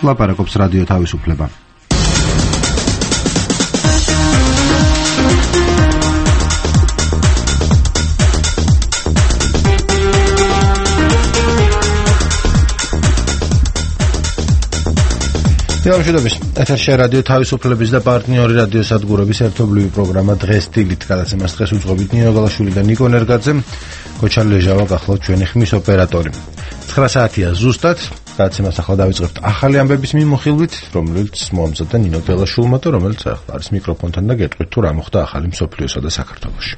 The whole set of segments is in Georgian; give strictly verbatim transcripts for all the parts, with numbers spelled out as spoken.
ლაპარაკობს რადიო თავისუფლება. Დიალოგის ეთერში რადიო თავისუფლების და პარტნიორი რადიო სადგურების ერთობლივი პროგრამა დღეს დილით გადაცემას დღეს უძღვებით ნინო გალაშვილი და ნიკო ნერგაძე. კოჩა ლეჟავა გახლავთ ჩვენი ხმის ოპერატორი. ცხრა საათია ზუსტად. გადაცემას ახლა დავიწყებთ ახალი ამბების მიმოხილვით, რომელიც მოამზადა ნინო გალაშვილმა და რომელიც ახლა არის მიკროფონთან და გეტყვით თუ რა მოხდა ახალი მსოფლიოსა და საქართველოში.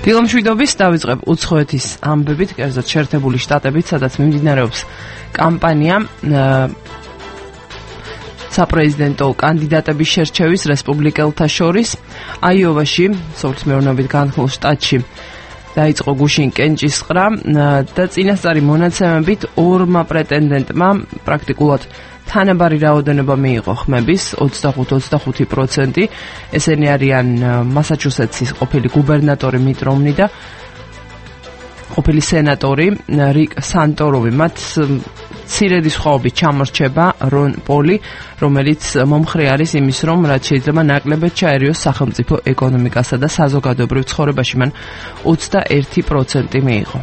დილომშვიდობის დავიწყებ უცხოეთის ამბებით, კერძოდ შეერთებული შტატებით, სადაც მიმდინარეობს კამპანია საპრეზიდენტო კანდიდატების შერჩევის რესპუბლიკელთა შორის. აიოვაში, სოფლის მეურნეობით განხილულ შტატში დაიწყო გუშინ კენჭისყრა და წინასწარი მონაცემებით ორმა პრეტენდენტმა პრაქტიკულად თანაბარი რაოდენობა მიიღო ხმების ოცდახუთ ოცდახუთი პროცენტი. ესენი არიან მასაჩუსეტსის ყოფილი გუბერნატორი მიტ რომნი და ყოფილი სენატორი რიკ სანტოროვი. მათ მცირედი სხვაობით ჩამორჩება რონ პოლი, რომელიც მომხრე არის იმის, რომ რაც შეიძლება ნაკლებად ჩაერიოს სახელმწიფო ეკონომიკასა და საზოგადოებრივ ცხოვრებაში. მან ოცდაერთი პროცენტი მიიღო.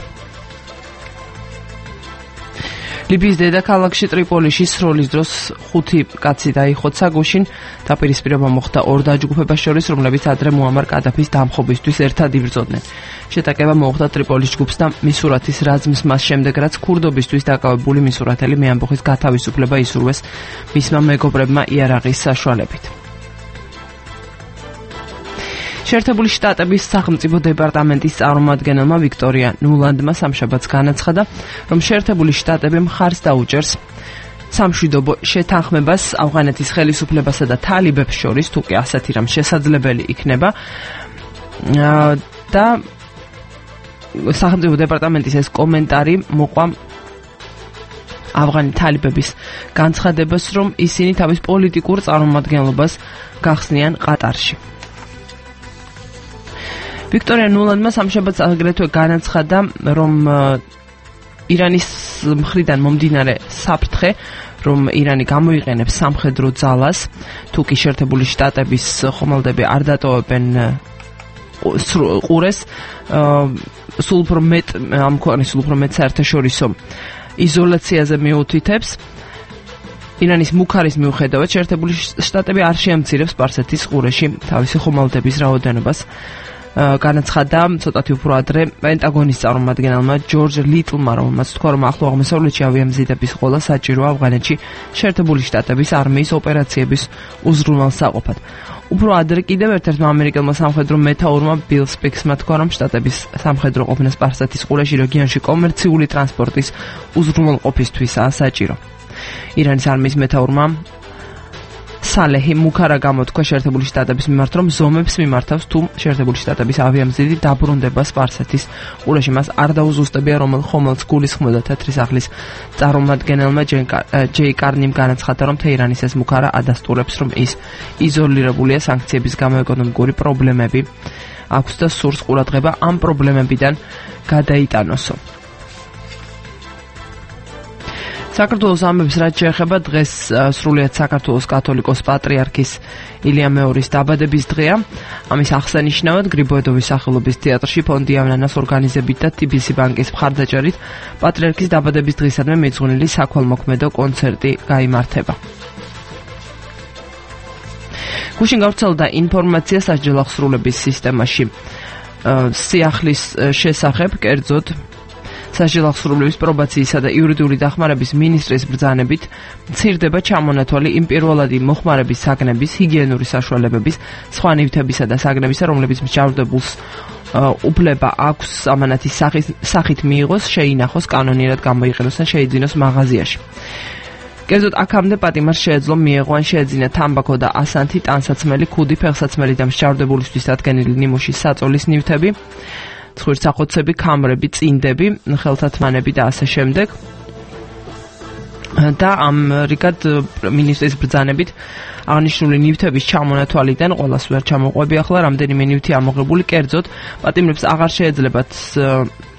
ლიბიის დედაქალაქში ტრიპოლიში სროლის დროს ხუთი კაცი დაიხოცა გუშინ. დაპირისპირება მოხდა ორ დაჯგუფებას შორის, რომლებიც ადრე მუამარ კადაფის დამხობისთვის ერთად იბრძოდნენ. შეტაკება მოხდა ტრიპოლის ჯგუფს და მისურათის რაზმს მას შემდეგ, რაც ქურდობისთვის დაკავებული მისურათელი მეამბოხის გათავისუფლება ისურვეს მისმა მეგობრებმა იარაღის საშუალებით. შეერთებული შტატების სახელმწიფო დეპარტამენტის წარმომადგენელმა ვიქტორია ნულანდმა სამშაბათს განაცხადა, რომ შეერთებული შტატები მხარს დაუჭერს სამშვიდობო შეთანხმებას ავღანეთის ხელისუფლებასა და თალიბებს შორის, თუ კი ასეთი რამ შესაძლებელი იქნება. და სახელმწიფო დეპარტამენტის ეს კომენტარი მოყვა ავღანი თალიბების განცხადებას, რომ ისინი თავის პოლიტიკურ წარმომადგენლობას გახსნიან ყატარში. ვიქტორია ნულანდმა სამშაბათს აგრეთვე განაცხადა, რომ ირანის მხრიდან მომდინარე საფრთხე, რომ ირანი გამოიყენებს სამხედრო ძალას, თუ კი შეერთებული შტატების ხომალდები არ დატოვებენ ყურეს, სულ უფრო მეტ ამ ქვეყნის სულ უფრო მეტ საერთაშორისო იზოლაციაზე მიუთითებს. ირანის მუქარის მიუხედავად შეერთებული შტატები არ შეამცირებს სპარსეთის ყურეში თავისი ხომალდების რაოდენობას. განაცხადა ცოტათი უფრო ადრე პენტაგონის წარმომადგენელმა ჯორჯ ლიტლმა, რომელმაც თქვა, რომ ახლო აღმოსავლეთში ავიამზიდების ყოლა საჭიროა ავღანეთში შეერთებული შტატების არმიის ოპერაციების უზრუნველსაყოფად. უფრო ადრე კიდევ ერთ-ერთმა ამერიკელმა სამხედრო მეთაურმა ბილ სპიქსმა თქვა, რომ შტატების სამხედრო ყოფნა სპარსეთის ყურეში რეგიონში კომერციული ტრანსპორტის უზრუნველყოფისთვისაა საჭირო. ირანის არმიის მეთაურმა სალეჰი მუქარა გამოთქვა შეერთებული შტატების მიმართ, რომ ზომებს მიმართავს თუ შეერთებული შტატების ავიამზიდი დაბრუნდება სპარსეთის ყურეში. მას არ დაუზუსტებია, რომელ ხომალდს გულისხმობდა თეთრი სახლის წარმომადგენელმა ჯეი კარნიმ განაცხადა, რომ თეირანის ეს მუქარა ადასტურებს, რომ ის იზოლირებულია სანქციების გამო ეკონომიკური პრობლემები აქვს და სურს ყურადღება ამ პრობლემებიდან გადაიტანოსო. საქართველოს ამბებს რაც შეეხება, დღეს სრულიად საქართველოს კათოლიკოს პატრიარქის ილია მეორის დაბადების დღეა. ამის აღსანიშნავად გრიბოედოვის სახელობის თეატრში ფონდი ამნანას ორგანიზებით და ტი ბი სი ბანკის მხარდაჭერით პატრიარქის დაბადების დღისადმი მიძღვნილი საქველმოქმედო კონცერტი გაიმართება. გუშინ გავრცელდა ინფორმაცია სასჯელ აღსრულების სისტემაში სიახლის შესახებ, კერძოდ სასჯელ აღსრულების პრობაციისა და იურიდიული დახმარების მინისტრის ბრძანებით მცირდება ჩამონათვალი იმ პირველადი მოხმარების საგნების, ჰიგიენური საშუალებების, სხვა ნივთებისა და საგნებისა, რომლებიც მსჯავრდებულს უფლება აქვს ამანათის სახით მიიღოს, შეინახოს, კანონიერად გამოიყენოს და შეიძინოს მაღაზიაში. კერძოდ აქამდე პატიმარს შეეძლო მიეღო ან შეეძინა თამბაქო და ასანთი, ტანსაცმელი, ქუდი, ფეხსაცმელი და მსჯავრდებულისთვის დადგენილი ნიმუშის საწოლის ნივთები, ცხვირსახოცები, ქამრები, წინდები, ხელთათმანები და ასე შემდეგ. და ამრიგად მინისტრის ბრძანებით აღნიშნული ნივთების ჩამონათვალიდან ყველას ვერ ჩამოყვები ახლა რამდენიმე ნივთი ამოღებული კერძოდ პატიმრებს აღარ შეეძლებათ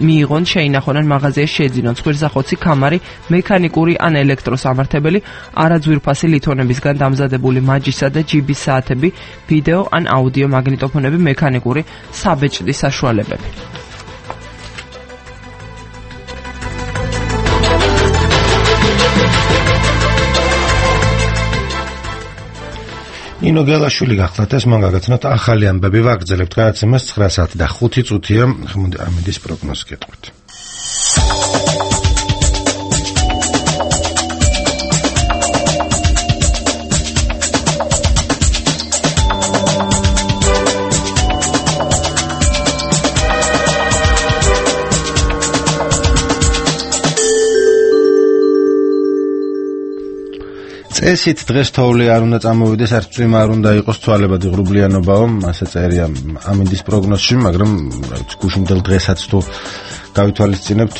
მიიღონ შეინახონ მაღაზიაში შეძინონ ცხვირსახოცი კამარი მექანიკური ან ელექტროსამართებელი არაძვირფასი ლითონებისგან დამზადებული მაჯისა და ჯიბის საათები ვიდეო ან აუდიო მაგნიტოფონები მექანიკური საბეჭდი საშუალებები ნინო გელაშვილი გახლავთ ეს მან გაგაცნოთ ახალი ამბები ვაგრძელებთ გადაცემას ცხრა საათი და ხუთი წუთია ამინდის პროგნოზი გეტყვით წესით დღეს თოვლი არ უნდა წამოვიდეს, არც წვიმა არ უნდა იყოს, ცვალებადი ღრუბლიანობაო, ასე წერია ამინდის პროგნოზში, მაგრამ გუშინდელ დღესაც თუ გავითვალისწინებთ,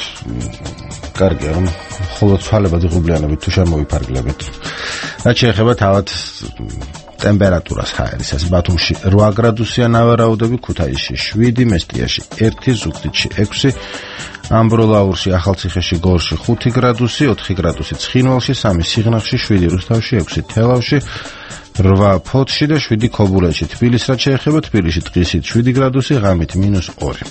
კარგია რომ მხოლოდ ცვალებადი ღრუბლიანობით თუ შემოვიფარგლებით. რაც შეეხება თავად ტემპერატურას ჰაერისას, ბათუმში რვა გრადუსია ნავარაუდები, ქუთაისში შვიდი, მესტიაში ერთი, ზუგდიდში ექვსი, ამბროლაურში, ახალციხეში, გორში ხუთი გრადუსი, ოთხი გრადუსი ცხინვალში, სამი სიღნაღში, შვიდი რუსთავში, ექვსი თელავში, რვა ფოთში და შვიდი ქობულეთში. თბილისს რაც შეეხება, თბილისში დღისით შვიდი გრადუსი, ღამით მინუს ორი.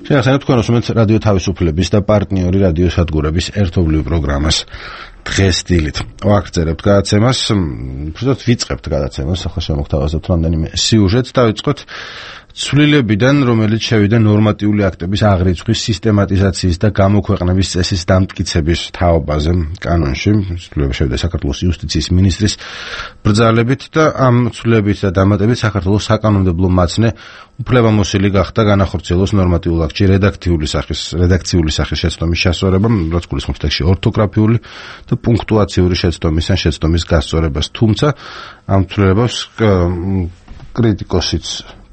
შეახსენებთ თქვენ უსმენთ რადიო თავისუფლების და პარტნიორი რადიო სადგურების ერთობლივ პროგრამას დღეს დილით. ვაგრძელებთ გადაცემას, უბრალოდ ვიწყებთ გადაცემას, ახლა შემოგთავაზებთ რამდენიმე სიუჟეტს, დავიწყოთ ცვლილებიდან, რომელიც შევიდა ნორმატიული აქტების აღრიცხვის, სისტემატიზაციის და გამოქვეყნების წესის დამტკიცების თაობაზე კანონში. ცვლილება შევიდა საქართველოს იუსტიციის მინისტრის ბრძანებით და ამ ცვლილებით და დამატებით საქართველოს საკანონმდებლო მაცნე უფლებამოსილი გახდა განახორციელოს ნორმატიულ აქტში რედაქციული სახის რედაქციული სახის შეცდომის შესწორება, რაც გულისხმობს ტექსტში ორთოგრაფიული და პუნქტუაციური შეცდომის ან შეცდომის გასწორებას. თუმცა ამ ცვლილებას კრიტიკოსიც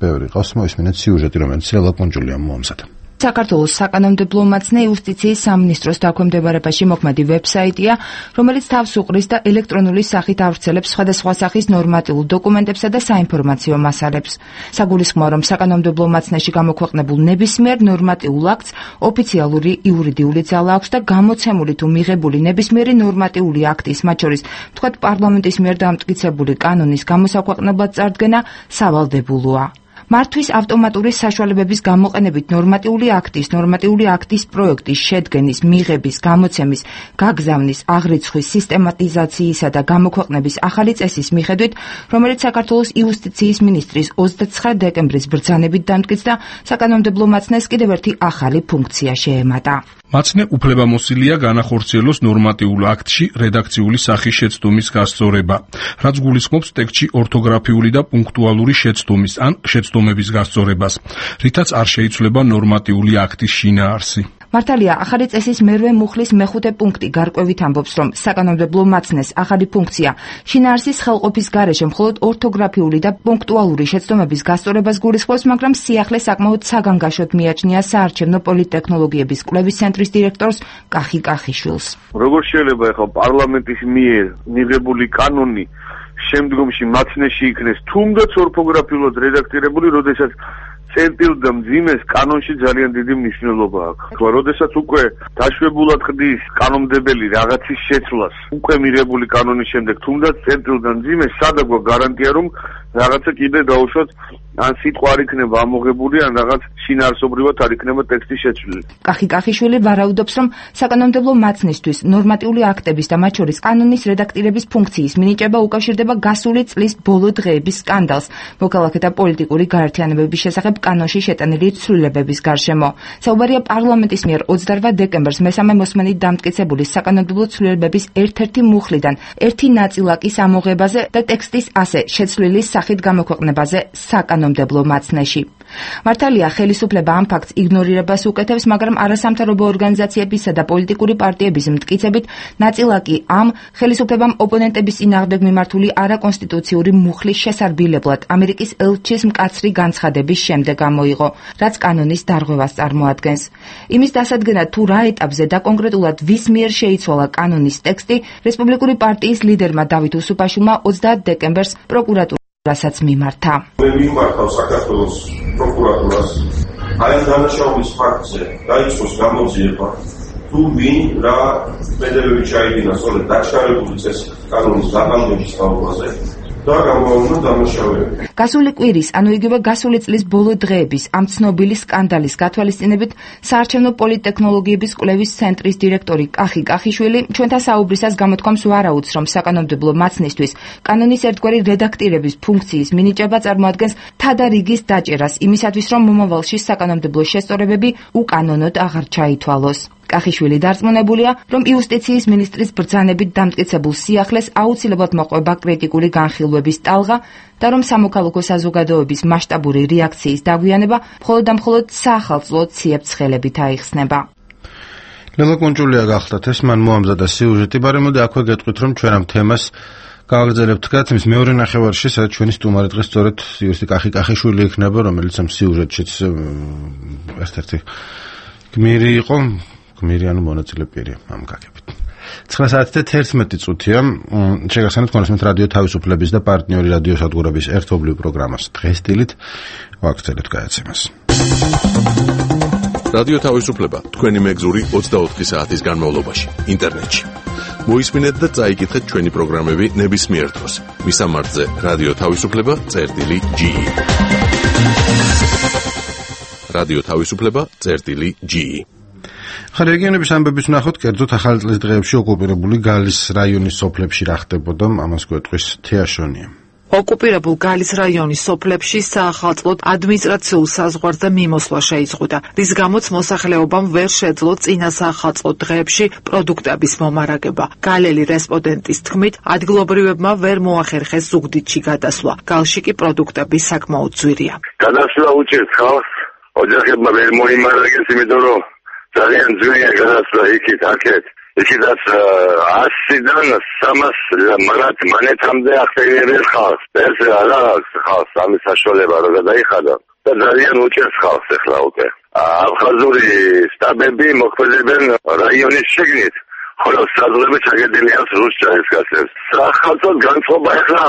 ბევრი ყავს, მოისმინეთ სიუჟეტი, რომელიც ელა კუნჯულიამ მოამზადა. საქართველოს საკანონმდებლო მაცნე იუსტიციის სამინისტროს დაქვემდებარებაში მოქმედი ვებსაიტია, რომელიც თავს უყრის და ელექტრონული სახით ავრცელებს სხვადასხვა სახის ნორმატიულ დოკუმენტებსა და საინფორმაციო მასალებს. საგულისხმოა, რომ საკანონმდებლო მაცნეში გამოქვეყნებულ ნებისმიერ ნორმატიულ აქტს ოფიციალური იურიდიული ძალა აქვს და გამოცემული თუ მიღებული ნებისმიერი ნორმატიული აქტის, მათ შორის ვთქვათ პარლამენტის მიერ დამტკიცებული კანონის გამოსაქვეყნებლად წარდგენა სავალდებულოა. მართვის ავტომატური საშუალებების გამოყენებით ნორმატიული აქტის, ნორმატიული აქტის პროექტის შედგენის, მიღების, გამოცემის, გაგზავნის, აღრიცხვის, სისტემატიზაციისა და გამოქვეყნების ახალი წესის მიხედვით, რომელიც საქართველოს იუსტიციის მინისტრის ოცდაცხრა დეკემბრის ბრძანებით დამტკიცდა, საკანონმდებლო მაცნეს კიდევ ერთი ახალი ფუნქცია შეემატა. მაცნე უფლებამოსილია განახორციელოს ნორმატიულ აქტში რედაქციული სახის შეცდომის გასწორება, რაც გულისხმობს ტექსტში ორთოგრაფიული და პუნქტუალური შეცდომის ან შეცდომების გასწორებას, რითაც არ შეიცვლება ნორმატიული აქტის შინაარსი. მართალია, ახალი წესის მერვე მუხლის მეხუთე პუნქტი გარკვევით ამბობს, რომ საკანონმდებლო მაცნეს ახალი ფუნქცია შინაარსის ხელყოფის გარეშე მხოლოდ ორთოგრაფიული და პუნქტუალური შეცდომების გასწორებას გულისხმობს, მაგრამ სიახლე საკმაოდ საგანგაშოდ მიაჩნია საარჩევნო პოლიტტექნოლოგიების კვლევის ცენტრის დირექტორს კახი კახიშვილს. როგორ შეიძლება ახლა პარლამენტის მიერ მიღებული კანონი შემდგომში მაცნეში იქნეს თუნდაც ორთოგრაფიულად რედაქტირებული, როდესაც წერტილ და მძიმეს კანონში ძალიან დიდი მნიშვნელობა აქვს. ხო, როდესაც უკვე დაშვებულად ხდის კანონმდებელი რაღაცის შეცვლას, უკვე მიღებული კანონის შემდეგ თუნდაც წერტილ და მძიმეს სადაგვა გარანტია, რომ რაღაცა კიდე დაუშვათ, ან სიტყვა არ იქნება ამოღებული, ან რაღაც შინაარსობრივად არ იქნება ტექსტი შეცვლილი. კახი კახიშვილი ვარაუდობს, რომ საკანონმდებლო მაცნისთვის ნორმატიული აქტების და მათ შორის კანონის რედაქტირების ფუნქციის მინიჭება უკავშირდება გასული წლის ბოლო დღეების სკანდალს, მოქალაქეთა პოლიტიკური გაერთიანებების შესახებ კანონში შეტანილი ცვლილებების გარშემო. საუბარია პარლამენტის მიერ ოცდარვა დეკემბერს მესამე მოსმენით დამტკიცებული საკანონმდებლო ცვლილებების ერთ-ერთი მუხლიდან ერთი ნაწილაკის ამოღებაზე და ტექსტის ასე შეცვლილის სახით გამოქვეყნებაზე საკანონმდებლო მაცნეში. მართალია, ხელისუფლება ამ ფაქტს იგნორირებას უკეთებს, მაგრამ არასამთავრობო ორგანიზაციებისა და პოლიტიკური პარტიების მტკიცებით, ნაწილა კი ამ ხელისუფლებამ ოპონენტების წინააღმდეგ მიმართული არაკონსტიტუციური მუხლის შესარბილებლად ამერიკის ელჩის მკაცრი განცხადების შემდეგ გამოიღო, რაც კანონის დარღვევას წარმოადგენს. იმის დასადგენად, თუ რა ეტაპზე და კონკრეტულად ვის მიერ შეიცვალა კანონის ტექსტი, რესპუბლიკური პარტიის ლიდერმა დავით უსუფაშვილმა ოცდაათ დეკემბერს პროკურატურასაც მიმართა. მე მიმართავ საქართველოს პროკურატურას აი ამ დანაშაულის ფაქტზე დაიწყოს გამოძიება თუ ვინ რა მედლებები ჩაიდინა სწორედ დაშავებული წესით კანონის დაბანდების თაობაზე და გამოავლინა დამუშავებები. გასული კვირის, ანუ იგივე გასული წლის ბოლო დღეების ამ ცნობილი სკანდალის გათვალისწინებით საარჩევნო პოლიტტექნოლოგიების კვლევის ცენტრის დირექტორი კახი კახიშვილი ჩვენთან საუბრისას გამოთქვამს ვარაუდს, რომ საკანონმდებლო მაცნისთვის კანონის ერთგვარი რედაქტირების ფუნქციის მინიჭება წარმოადგენს თადარიგის დაჭერას იმისათვის, რომ მომავალში საკანონმდებლო შესწორებები უკანონოდ აღარ ჩაითვალოს. კახიშვილი დარწმუნებულია, რომ იუსტიციის მინისტრის ბრძანებით დამტკიცებულ სიახლეს აუცილებლად მოყვება კრიტიკული განხილვების ტალღა და რომ სამოქალაქო საზოგადოების მასშტაბური რეაქციის დაგვიანება მხოლოდ და მხოლოდ საახალწლო ციებ-ცხელებით აიხსნება. ლელა კონჭულია გახლდათ ეს, მან მოამზადა სიუჟეტი, მაგრამ მოდი აქვე გეტყვით, რომ ჩვენ ამ თემას გავაგრძელებთ გაცემის მეორე ნახევარში, სადაც ჩვენი სტუმარი დღეს სწორედ იუსტი კახი კახიშვილი იქნება, რომელიც ამ სიუჟეტშიც ერთ-ერთი გმირი იყო. მირიანო მონაწილე პირი ამ გაგებით. ცხრა საათი და თერთმეტი წუთია. შეგახსენებთ კონსმეთ რადიო თავისუფლების და პარტნიორი რადიო სადგურების ერთობლივ პროგრამას დღეს დილით ვაგრძელებთ გადაცემას. რადიო თავისუფლება თქვენი მეგზური ოცდაოთხი საათის განმავლობაში ინტერნეტში. მოისმინეთ და წაიკითხეთ ჩვენი პროგრამები ნებისმიერ დროს. მისამართზე რადიო თავისუფლება წერტილი ჯი. რადიო თავისუფლება წერტილი ჯი. ხა რეგიონების ამბების ვნახოთ, კერძოდ ახალი წლის დღეებში ოკუპირებული გალის რაიონის სოფლებში რა ხდებოდა, ამას გვეტყვის თეაშონია. ოკუპირებულ გალის რაიონის სოფლებში საახალწლოდ ადმინისტრაციულ საზღვარს და მიმოსვლა შეიზღუდა, რის გამოც მოსახლეობამ ვერ შეძლო წინა საახალწლო დღეებში პროდუქტების მომარაგება. გალელი რესპონდენტის თქმით, ადგილობრივებმა ვერ მოახერხეს ზუგდიდში გადასვლა. galში კი პროდუქტები საკმაოდ ძვირია. გადასვლა უჭირს ხალხს, ოჯახებმა ვერ მოიმარაგეს, იმიტომ რომ ძალიან ძვირია გადასვლა იქით, აქეთ. იქიდაც ასიდან სამას მანეთამდე ახდენებენ ხალხს. ეს არ აქვს ხალხს ამის საშუალება, რომ გადაიხადონ. და ძალიან უჭერს ხალხს ახლა უკვე. აფხაზური სტაბები მოქმედებენ რაიონის შიგნით. ხოლო საზღვრები ჩაგედილია რუსეთის გასწრებს. სახალხოდ განწყობა ახლა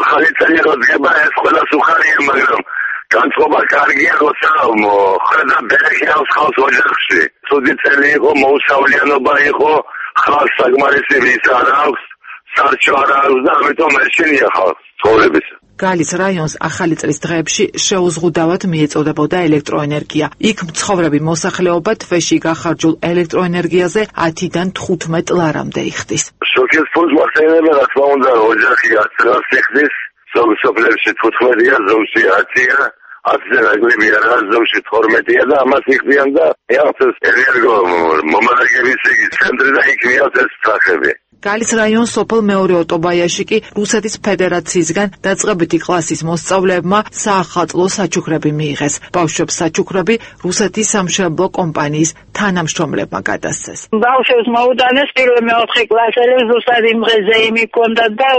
ახალი წელი როდგება, ეს ყველას უხარია, მაგრამ განწყობა კარგია, როცა ხედა ბერხიავს ხალხს ოჯახში. ცუდი წელი იყო, მოუსავლიანობა იყო, ხალხს საკმარისი ვის არ აქვს, სარჩო არ აქვს და ამიტომ ეშინია ხალხს ცხოვრების. გალის რაიონს ახალი წლის დღეებში შეუზღუდავად მიეწოდებოდა ელექტროენერგია. იქ მცხოვრები მოსახლეობა თვეში გახარჯულ ელექტროენერგიაზე ათიდან თხუთმეტ ლარამდე იხდის. შოკის ფულს მოხსენებენ, რა თქმა უნდა, ოჯახი ათს იხდის, ზოგ სოფლებში თხუთმეტია, ზოგში ათია. ათზე რაგლებია, რა ზოგში თორმეტია და ამას იხდიან და ეახსეს ენერგო მომარაგების იგი ცენტრი და იქ მიაწეს სახები. გალის რაიონს სოფელ მეორე ოტობაიაში კი რუსეთის ფედერაციისგან დაწყებითი კლასის მოსწავლეებმა საახალწლო საჩუქრები მიიღეს. ბავშვებს საჩუქრები რუსეთის სამშენებლო კომპანიის თანამშრომლებმა გადასცეს. ბავშვებს მოუტანეს პირველ მეოთხე კლასელებს ზუსტად იმ დღეზე იმი ჰქონდათ და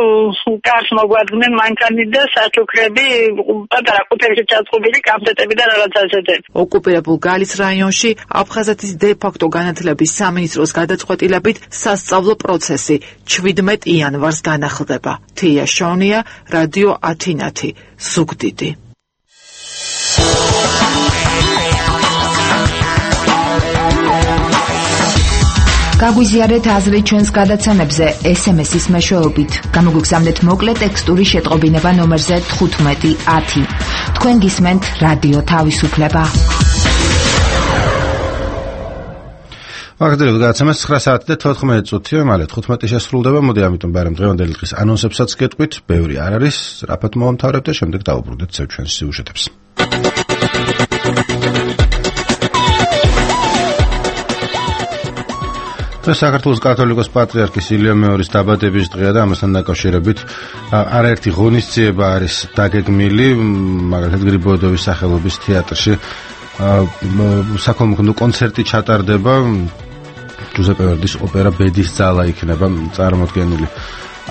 კარს მოგვარდნენ მანქანი და საჩუქრები პატარა ყუთებში ჩაწყობილი კამპლეტები და რაღაც ასეთები. ოკუპირებულ გალის რაიონში აფხაზეთის დე-ფაქტო განათლების სამინისტროს გადაწყვეტილებით სასწავლო პროცესი ჩვიდმეტ იანვარს განახლდება. თეაშონია, რადიო ათინათი, ზუგდიდი. გაგვიზიარეთ აზრი ჩვენს გადაცემებზე ეს ემ ესის მეშვეობით. გამოგვიგზავნეთ მოკლე ტექსტური შეტყობინება ნომერზე თხუთმეტი ათი. თქვენ გისმენთ რადიო თავისუფლება. ვაგრძელებთ გადაცემას ცხრა საათი და თოთხმეტი წუთია, მალე თხუთმეტი შესრულდება. მოდი ამიტომ ბარემ დღევანდელი დღის ანონსებსაც გეტყვით. ბევრი არ არის, რაფად მოვამთავრებთ და შემდეგ დავუბრუნდეთ ჩვენს სიუჟეტებს. დღეს საქართველოს კათოლიკოს პატრიარქის ილია მეორის დაბადების დღეა და ამასთან დაკავშირებით არაერთი ღონისძიება არის დაგეგმილი, მაგალითად გრიბოედოვის სახელობის თეატრში საქველმოქმედო კონცერტი ჩატარდება, ჯუზეპე ვერდის ოპერა ბედის ძალა იქნება წარმოდგენილი.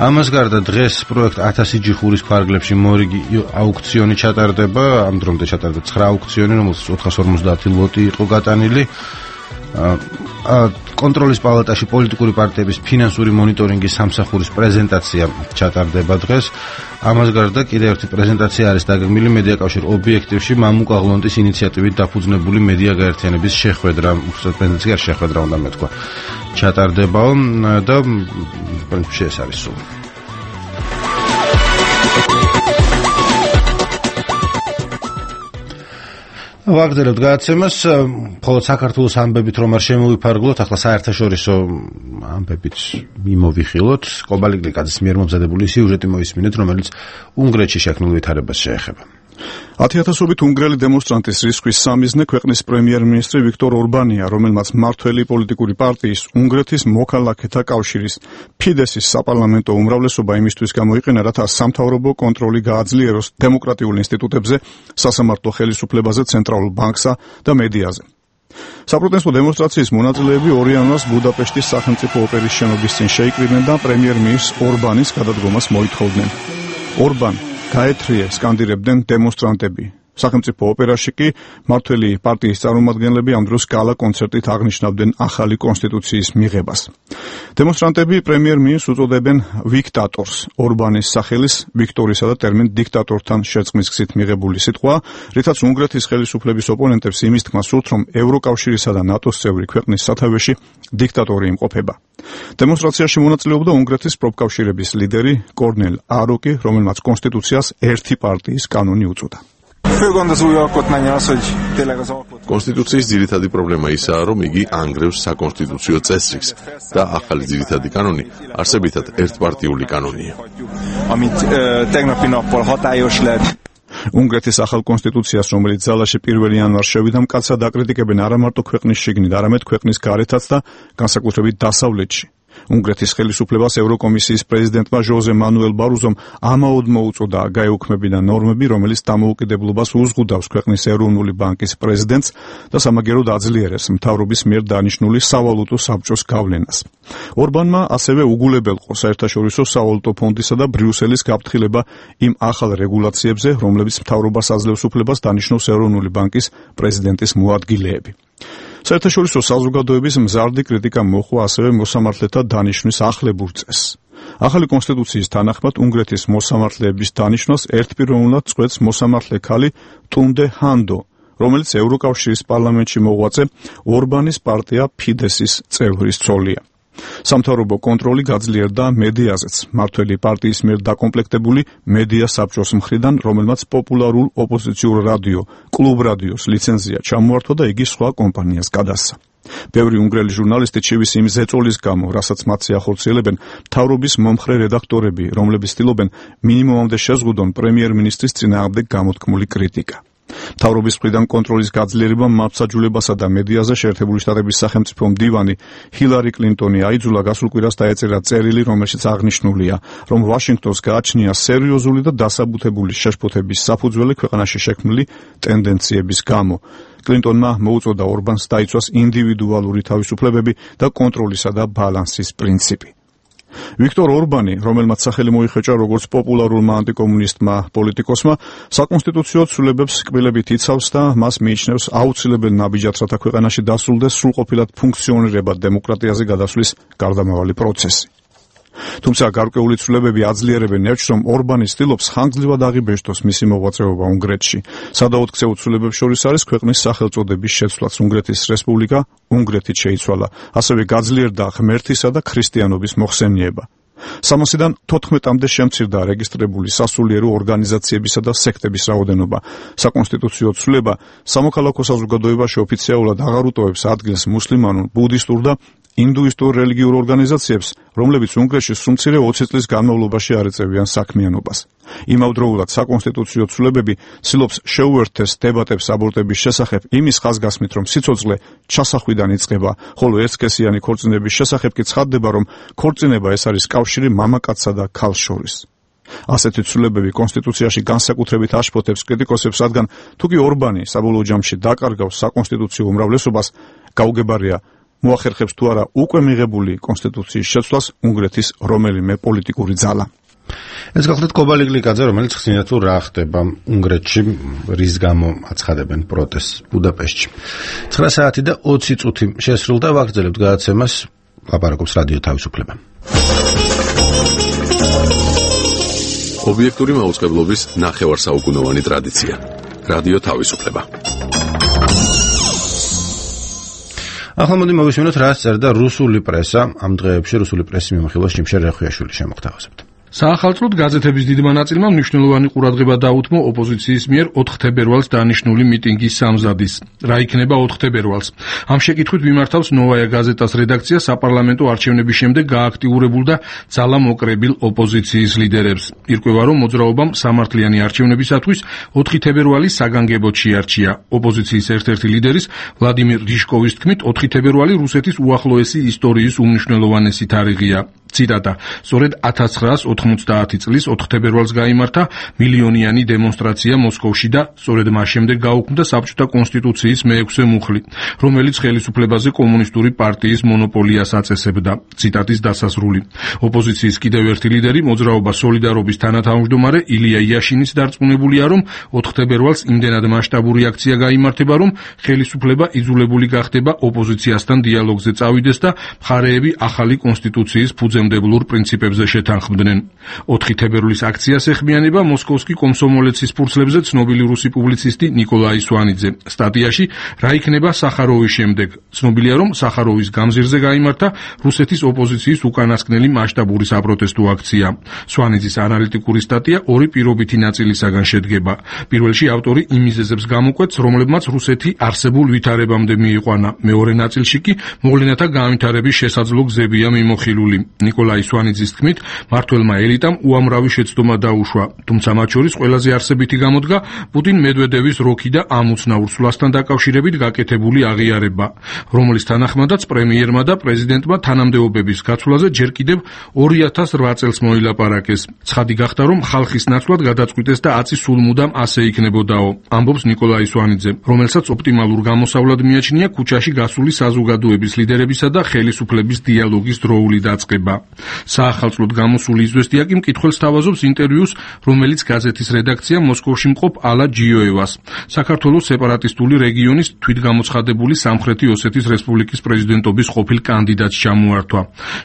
ამას გარდა დღეს პროექტ ათასი ჯიხურის ფარგლებში მორიგი აუქციონი ჩატარდება, ამ დრომდე ჩატარდება ცხრა აუქციონი, რომელსაც ოთხას ორმოცდაათი ლოტი იყო გატანილი. კონტროლის პალატაში პოლიტიკური პარტიების ფინანსური მონიტორინგის სამსახურის პრეზენტაცია ჩატარდება დღეს. ამას გარდა კიდევ ერთი პრეზენტაცია არის დაგეგმილი მედიაკავშირ ობიექტივში მამუკა ღლონტის ინიციატივით დაფუძნებული მედია გაერთიანების შეხვედრა, უბრალოდ პრეზენტაცია არ შეხვედრა უნდა მეთქვა. ჩატარდებაო და პრინციპში ეს არის სულ. ვაგრძელებთ გადაცემას, მხოლოდ საქართველოს ამბებით რომ არ შემოვიფარგლოთ, ახლა საერთაშორისო ამბებით მიმოვიხილოთ. კობალიკ ლიკაძის მიერ მომზადებული სიუჟეტი მოისმინეთ, რომელიც უნგრეთში შექმნილ ვითარებას შეეხება. ათიათასობით უნგრელი დემონსტრანტის რისკვის სამიზნე ქვეყნის პრემიერ-მინისტრი ვიქტორ ორბანია, რომელმაც მმართველი პოლიტიკური პარტიის უნგრეთის მოქალაქეთა კავშირის ფიდესის საპარლამენტო უმრავლესობა იმისთვის გამოიყენა, რათა სამთავრობო კონტროლი გააძლიეროს დემოკრატიულ ინსტიტუტებზე, სასამართლო ხელისუფლებაზე, ცენტრალურ ბანკსა და მედიაზე. საპროტესტო დემონსტრაციის მონაწილეები ორი იანვარს ბუდაპეშტის სახელმწიფო ოპერის შენობის წინ შეიკრიბნენ და პრემიერ-მინისტრ ორბანის გადადგომას მოითხოვდნენ. ორბან გაეთრიე სკანდირებდნენ დემონსტრანტები. სახელმწიფო ოპერაში კი მმართველი პარტიის წარმომადგენლები ამ დროს გალა კონცერტით აღნიშნავდნენ ახალი კონსტიტუციის მიღებას. დემონსტრანტები პრემიერ-მინისტრს უწოდებენ ვიქტატორს. ორბანის სახელის ვიქტორისა და ტერმინ დიქტატორთან შერწყმის გზით მიღებული სიტყვა, რითაც უნგრეთის ხელისუფლების ოპონენტებს იმის თქმა სურთ, რომ ევროკავშირისა და ნატოს წევრი ქვეყნის სათავეში დიქტატორი იმყოფება. დემონსტრაციაში მონაწილეობდა უნგრეთის პროფკავშირების ლიდერი კორნელ აროკი, რომელმაც კონსტიტუციას ერთი პარტიის კანონი უწოდა. კონსტიტუციის ძირითადი პრობლემა ისაა, რომ იგი ანგრევს საკონსტიტუციო წესრიგს და ახალი ძირითადი კანონი არსებითად ერთპარტიული კანონია. უნგრეთის ახალ კონსტიტუციას, რომელიც ძალაში პირველი იანვარს შევიდა, მკაცრად აკრიტიკებენ არა მარტო ქვეყნის შიგნით, არამედ ქვეყნის გარეთაც და განსაკუთრებით დასავლეთში. უნგრეთის ხელისუფლებას ევროკომისიის პრეზიდენტმა ჟოზე მანუელ ბარუზომ ამაოდ მოუწოდა გაეუქმებინა ნორმები, რომელიც დამოუკიდებლობას უზღუდავს ქვეყნის ეროვნული ბანკის პრეზიდენტს და სამაგეროდ აძლიერებს მთავრობის მიერ დანიშნული სავალუტო საბჭოს გავლენას. ორბანმა ასევე უგულებელყო საერთაშორისო სავალუტო ფონდისა და ბრიუსელის გაფრთხილება იმ ახალ რეგულაციებზე, რომლებიც მთავრობას აძლევს უფლებას დანიშნოს ეროვნული ბანკის პრეზიდენტის მოადგილეები. საერთაშორისო საზოგადოების მზარდი კრიტიკა მოჰყვა ასევე მოსამართლეთა დანიშვნის ახლებურ წესს. ახალი კონსტიტუციის თანახმად უნგრეთის მოსამართლეების დანიშვნას ერთპიროვნულად წყვეტს მოსამართლე ქალი ტუნდე ჰანდო, რომელიც ევროკავშირის პარლამენტში მოღვაწე ორბანის პარტია ფიდესის წევრის ცოლია. სამთავრობო კონტროლი გაძლიერდა მედიაზეც, მმართველი პარტიის მიერ დაკომპლექტებული მედია საბჭოს მხრიდან, რომელმაც პოპულარულ ოპოზიციურ რადიო კლუბ რადიოს ლიცენზია ჩამოართვა და იგი სხვა კომპანიას გადასცა. ბევრი უნგრელი ჟურნალისტი ჩივის იმ ზეწოლის გამო, რასაც მათი ახორციელებენ მთავრობის მომხრე რედაქტორები, რომლებიც ცდილობენ მინიმუმამდე შეზღუდონ პრემიერ-მინისტრის წინააღმდეგ გამოთქმული კრიტიკა. მთავრობის მხრიდან კონტროლის გაძლიერება მართლმსაჯულებასა და მედიაზე შეერთებული შტატების სახელმწიფო მდივანი ჰილარი კლინტონი აიძულა გასულ კვირას დაეწერა წერილი, რომელშიც აღნიშნულია, რომ ვაშინგტონს გააჩნია სერიოზული და დასაბუთებული შეშფოთების საფუძველი ქვეყანაში შექმნილი ტენდენციების გამო. კლინტონმა მოუწოდა ორბანს დაიცვას ინდივიდუალური თავისუფლებები და კონტროლისა და ბალანსის პრინციპი. ვიქტორ ორბანი, რომელმაც სახელი მოიხეჭა როგორც პოპულარულმა ანტიკომუნისტმა პოლიტიკოსმა, საკონსტიტუციო ცვლილებებს კბილებით იცავს და მას მიიჩნევს აუცილებელ ნაბიჯად, რათა ქვეყანაში დასრულდეს სრულყოფილად ფუნქციონირებად დემოკრატიაზე გადასვლის გარდამავალი პროცესი. თუმცა გარკვეული ცვლილებები აძლიერებენ ნერჩს, რომ ორბანი ცდილობს ხანგრძლივად აღიბეჭდოს მისი მოღვაწეობა უნგრეთში. სადაოთხკცეულ ცვლილებებს შორის არის ქვეყნის სახელწოდების შეცვლაც. უნგრეთის რესპუბლიკა უნგრეთით შეიცვალა. ასევე გაძლიერდა ღმერთისა და ქრისტიანობის მოხსენიება. სამასიდან თოთხმეტამდე შემცირდა რეგისტრირებული სასულიერო ორგანიზაციებისა და სექტების რაოდენობა. საკონსტიტუციო ცვლილება სამოქალაქო საზოგადოებაში ოფიციალურად აღარ უტოვებს ადგილს მუსლიმანურ, ბუდისტურ და ინდუისტურ რელიგიურ ორგანიზაციებს, რომლებიც უნგრეთში სულ ოცი წლის განმავლობაში არ ეწევიან საქმიანობას. იმავდროულად საკონსტიტუციო ცვლილებები ცდილობს შეუერთდეს დებატებს აბორტების შესახებ იმის ხაზგასმით, რომ სიცოცხლე ჩასახვიდან იწყება, ხოლო ერთსქესიანი ქორწინების შესახებ კი ცხადდება, რომ ქორწინება ეს არის კავშირი მამაკაცსა და ქალს შორის. ასეთი ცვლილებები კონსტიტუციაში განსაკუთრებით აშფოთებს კრიტიკოსებს, რადგან თუკი ორბანი საბოლოო ჯამში დაკარგავს საკონსტიტუციო უმრავლესობას, გაუგებარია მოახერხებს თუ არა უკვე მიღებული კონსტიტუციის შეცვლას უნგრეთის რომელიმე პოლიტიკური ძალა. ეს გახლდათ კობალი გლიკაძე, რომელიც ხსნიდა თუ რა ხდება უნგრეთში, რის გამო აცხადებენ პროტესტს ბუდაპეშტში. ცხრა საათი და ოცი წუთი შესრულდა, ვაგრძელებთ გადაცემას, ლაპარაკობს რადიო თავისუფლება. ობიექტური მაუწყებლობის ნახევარსაუკუნოვანი ტრადიცია. რადიო თავისუფლება. ახლა მოდი მოვისმინოთ, რა წერდა რუსული პრესა ამ დღეებში. რუსული პრესის მიმოხილვა შიმშერ რეხვიაშვილი შემოგთავაზებთ. საახალწლოდ გაზეთების დიდმა ნაწილმა მნიშვნელოვანი ყურადღება დაუთმო ოპოზიციის მიერ ოთხ თებერვალს დანიშნული მიტინგის სამზადის. რა იქნება ოთხ თებერვალს? ამ შეკითხვით მიმართავს ნოვაია გაზეტას რედაქცია საპარლამენტო არჩევნების შემდეგ გააქტიურებულ და ძალამოკრებილ ოპოზიციის ლიდერებს. ირკვევა, რომ მოძრაობამ სამართლიანი არჩევნებისათვის ოთხი თებერვალი საგანგებოდ შეარჩია. ოპოზიციის ერთ-ერთი ლიდერის ვლადიმირ რიშკოვის თქმით, ოთხი თებერვალი რუსეთის უახლოესი ისტორიის უმნიშვნელოვანესი თარიღია. ციტატა: სწორედ ათას ცხრაას ოთხმოცდაათი წლის ოთხ თებერვალს გაიმართა მილიონიანი დემონსტრაცია მოსკოვში და სწორედ მას შემდეგ გაუქმდა საბჭოთა კონსტიტუციის მეექვსე მუხლი, რომელიც ხელისუფლებაზე კომუნისტური პარტიის მონოპოლიას აწესებდა. ციტატის დასასრული. ოპოზიციის კიდევ ერთი ლიდერი, მოძრაობა სოლიდარობის თანათავმჯდომარე ილია იაშინის დარწმუნებულია, რომ ოთხ თებერვალს იმდენად მასშტაბური აქცია გაიმართება, რომ ხელისუფლება იძულებული გახდება ოპოზიციასთან დიალოგზე წავიდეს და მხარეები ახალი კონსტიტუციის ფუძემდებლურ პრინციპებზე შეთანხმდნენ. ოთხი თებერვლის აქციას ეხმიანება მოსკოვსკი კომსომოლეცის ფურცლებზე ცნობილი რუსი პუბლიცისტი ნიკოლაი სვანიძე. სტატიაში რა იქნება სახაროვის შემდეგ? ცნობილია, რომ სახაროვის გამზირზე გაიმართა რუსეთის ოპოზიციის უკანასკნელი მასშტაბური საპროტესტო აქცია. სვანიძის ანალიტიკური სტატია ორი პირობითი ნაწილისაგან შედგება. პირველში ავტორი იმ მიზეზებს გამოკვეთს, რომლებმაც რუსეთი არსებულ ვითარებამდე მიიყვანა. მეორე ნაწილში კი მოვლენათა განვითარების შესაძლო გზებია მიმოხილული. ნიკოლაი სვანიძის თქმით, მმართველმა ელიტამ უამრავი შეცდომა დაუშვა, თუმცა მათ შორის ყველაზე არსებითი გამოდგა პუტინ მედვედევის როქი და ამ უცნაურ სვლასთან დაკავშირებით გაკეთებული აღიარება, რომლის თანახმადაც პრემიერმა და პრეზიდენტმა თანამდებობების გაცვლაზე ჯერ კიდევ ორი ათას ოთხ წელს მოილაპარაკეს. ცხადი გახდა, რომ ხალხის ნაცვლად გადაწყვიტეს და აწი სულ მუდამ ასე იქნებოდაო, ამბობს ნიკოლაი სვანიძე, რომელსაც ოპტიმალურ გამოსავლად მიაჩნია ქუჩაში გასული საზოგადოების ლიდერებისა და ხელისუფლების დიალოგის დროული დაწყება. საახალწლოდ გამოსული იზვესტია კი მკითხველს თავაზობს ინტერვიუს, რომელიც გაზეთის რედაქცია მოსკოვში მყოფ ალა ჯიოევას, საქართველოს სეპარატისტული რეგიონის თვითგამოცხადებული სამხრეთი ოსეთის რესპუბლიკის პრეზიდენტობის ყოფილ კანდიდატს ჩამოართვა.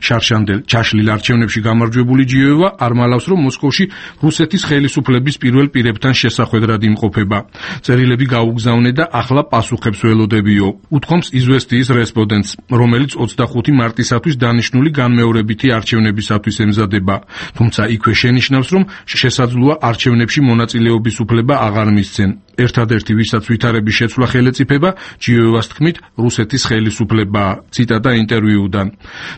შარშანდელ ჩაშლილ არჩევნებში გამარჯვებული ჯიოევა არ მალავს, რომ მოსკოვში რუსეთის ხელისუფლების პირველ პირებთან შესახვედრად იმყოფება. წერილები გაუგზავნე და ახლა პასუხებს ველოდებიო, უთქვამს იზვესტიის რესპონდენტს, რომელიც ოცდახუთი მარტისათვის დანიშნული განმეორებითი არჩევნებისათვის ემზადება, თუმცა იქვე შენიშნავს, რომ შესაძლოა არჩევნებში მონაწილეობის უფლება აღარ მისცენ. ერთადერთი, ვისაც ვითარების შეცვლა ხელეწიფება, ჯიოევას თქმით, რუსეთის ხელისუფლებაა. ციტატა ინტერვიუდან.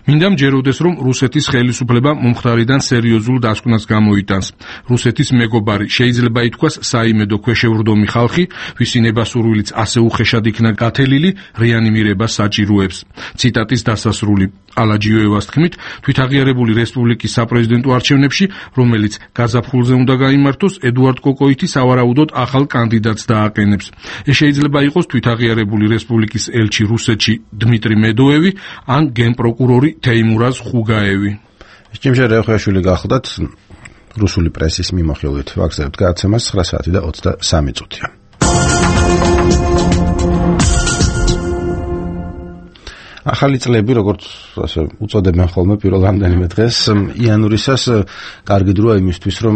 მინდა მჯეროდეს, რომ რუსეთის ხელისუფლება მომხდარიდან სერიოზულ დასკვნას გამოიტანს. რუსეთის მეგობარი შეიძლება ითქვას საიმედო ქვეშევრდომი ხალხი, ვისი ნებასურვილიც ასე უხეშად იქნა გათელილი, რეანიმირებას საჭიროებს. ციტატის დასასრული. ალა ჯიოევას თქმით, თვითაღიარებული რესპუბლიკის საპრეზიდენტო არჩევნებში, რომელიც გაზაფხულზე უნდა გაიმართოს, ედუარდ კოკოიტი სავარაუდოდ ახალ კანდიდატს დააყენებს. ეს შეიძლება იყოს თვითაღიარებული რესპუბლიკის ელჩი რუსეთში დმიტრი მედოევი ან გენპროკურორი თეიმურაზ ხუგაევი. შიმშერ რეხვიაშვილი გახლდათ რუსული პრესის მიმოხილვით. ვაგრძელებთ გადაცემას ცხრა საათი და ოცდასამი წუთია. ახალი წლები, როგორც ასე უწოდებენ ხოლმე პირველ რამდენიმე დღეს, იანვრისას კარგი დროა იმისთვის, რომ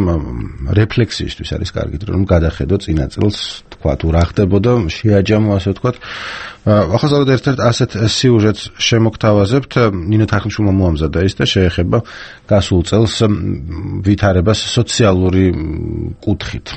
რეფლექსიისთვის არის კარგი დრო, რომ გადახედო წინა წელს, თქვა თუ რა ხდებოდა, შეაჯამო ასე ვთქვათ. ახლა ზოგადად ერთ-ერთ ასეთ სიუჟეტს შემოგთავაზებთ, ნინო თარხნიშვილმა მოამზადა ის და შეეხება გასულ წელს ვითარებას სოციალური კუთხით.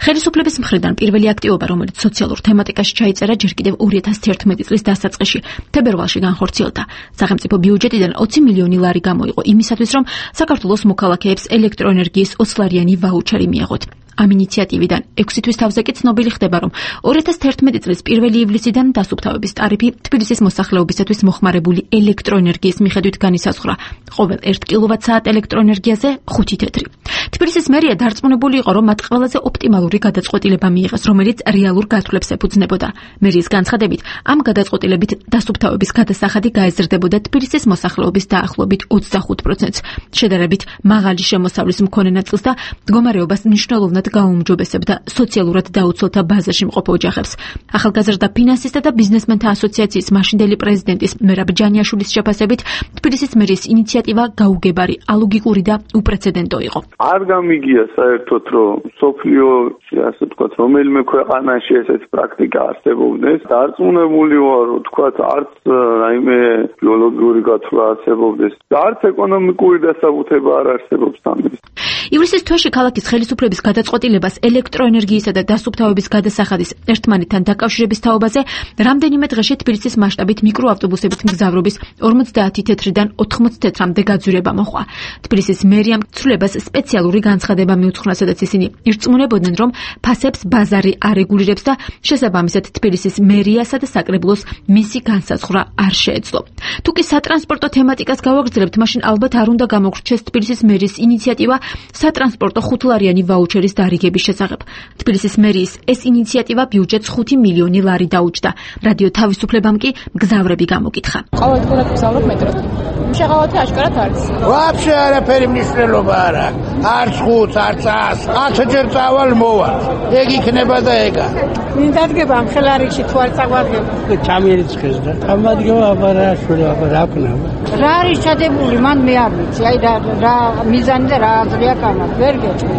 ხელისუფლების მხრიდან პირველი აქტივობა, რომელიც სოციალურ თემატიკაში ჩაიწერა, ჯერ კიდევ ორი ათას თერთმეტი წლის დასაწყისში თებერვალში განხორციელდა. სახელმწიფო ბიუჯეტიდან ოცი მილიონი ლარი გამოიყო იმისათვის, რომ საქართველოს მოქალაქეებს ელექტროენერგიის ოცლარიანი ვაუჩერი მიეღოთ. ამ ინიციატივიდან ექვსი თვის თავზე კი ცნობილი ხდება, რომ ორი ათას თერთმეტი წლის პირველი ივლისიდან დასუფთავების ტარიფი თბილისის მოსახლეობისათვის მოხმარებული ელექტროენერგიის მიხედვით განისაზღვრა. ყოველ ერთ კილოვატ-საათ ელექტროენერგიაზე ხუთი თეთრი. თბილისის მერია დარწმუნებული იყო, რომ მათ ყველაზე ოპტიმალური გადაწყვეტილება მიიღეს, რომელიც რეალურ გათვლებს ეფუძნებოდა. მერიის განცხადებით, ამ გადაწყვეტილებით დასუფთავების გადასახადი გაეზრდებოდა თბილისის მოსახლეობის დაახლოებით ოცდახუთ პროცენტს, შედარებით მაღალი შემოსავლის მქონე ნაწილს და მდგომარეობას მნიშვნელოვნად გაუმჯობესებდა სოციალურად დაუცველთა ბაზაში მყოფ ოჯახებს. ახალგაზრდა ფინანსისტთა და ბიზნესმენთა ასოციაციის მაშინდელი პრეზიდენტის მერაბ ჯანიაშვილის შეფასებით, თბილისის მერიის ინიციატივა გაუგებარი, ალოგიკური და უპრეცედენტო იყო. არ გამიგია საერთოდ, რომ სოფლიოში, ასე ვთქვათ, რომელიმე ქვეყანაში ესეთი პრაქტიკა არსებობდეს. დარწმუნებული ვარ, რომ ვთქვათ, არც რაიმე ბიოლოგიური გათვლა არსებობდეს, და არც ეკონომიკური დასაბუთება არ არსებობს ამის. ივლისის თვეში ქალაქის ხელისუფლების გადაწყვეტილებას ელექტროენერგიისა და დასუფთავების გადასახადის ერთმანეთთან დაკავშირების თაობაზე რამდენიმე დღეში თბილისის მასშტაბით მიკროავტობუსებით მგზავრობის ორმოცდაათი თეთრიდან ოთხმოცი თეთრამდე გაძვირება მოჰყვა. თბილისის მერიამ ცვლილებას სპეციალური განცხადება მიუძღვნა, სადაც ისინი ირწმუნებოდნენ, რომ ფასებს ბაზარი არეგულირებს და შესაბამისად თბილისის მერიასა და საკრებულოს მისი განსაზღვრა არ შეეძლო. თუ კი სატრანსპორტო თემატიკას გავაგრძელებთ, მაშინ ალბათ არ უნდა გამოგრჩეს თბილისის მერიის ინიციატივა სატრანსპორტო ხუთლარიანი ვაუჩერის დარიგების შესახებ. თბილისის მერიის ეს ინიციატივა ბიუჯეტს ხუთი მილიონი ლარი დაუჯდა. რადიო თავისუფლებამ კი მგზავრები გამოკითხა. ყოველდღურად ვგზავრობ მეტროში. შეღავათი აშკარად არის. ვაფშე არაფერი მნიშვნელობა არ აქვს. არც ხუთს, არც ას. ათჯერ წავალ მოვალ. ეგ იქნება და ეგა. ვინ დადგება ამ ხელარიქში თუ არ წაგვადგება? ჩამიერიცხეს და ამადგება აბარა შვილო აბარა აკნა. რა არის ჩადებული, მან მე არ ვიცი. აი და რა მიზანი და რა აზრი აქვს ამას, ვერ გეტყვი.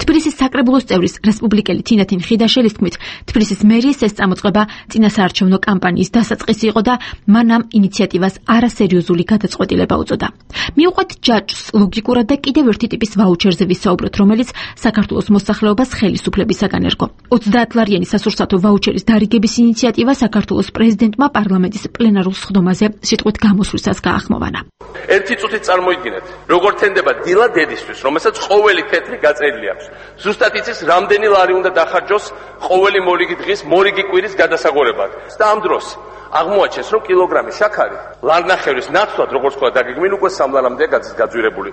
თბილისის საკრებულოს წევრის რესპუბლიკელი თინათინ ხიდაშელის თქმით, თბილისის მერიის ეს წამოწყება წინასაარჩევნო კამპანიის დასაწყისი იყო და მან ამ ინიციატივას არასერიოზული გადაწყვეტილება უწოდა. მიუყვეთ ჯაჭვს, ლოგიკურად და კიდევ ერთი ტიპის ვაუჩერზე ვისაუბროთ, რომელიც საქართველოს მოსახლეობას ხელისუფლებისაგან ერგო. ოცდაათლარიანი სასურსათო ვაუჩერის დარიგების ინიციატივა საქართველოს პრეზიდენტმა პარლამენტის პლენარულ სხდომაზე სიტყვით გამოსვლისას გაახმოვანა. ერთი წუთით წარმოიდგინეთ, როგორ თენდება დილა დედისთვის, რომელსაც ყოველი თეთრი გაწერილი აქვს. ზუსტად იცის, რამდენი ლარი უნდა დახარჯოს ყოველი მორიგი დღის, მორიგი კვირის გადასაგორებლად. და ამ დროს აღმოაჩენს, რომ კილოგრამი შაქარი ლარნახევრის ნაცვლად, როგორც თქვა დაგეგმილ, უკვე სამ ლარამდეა გაძვირებული.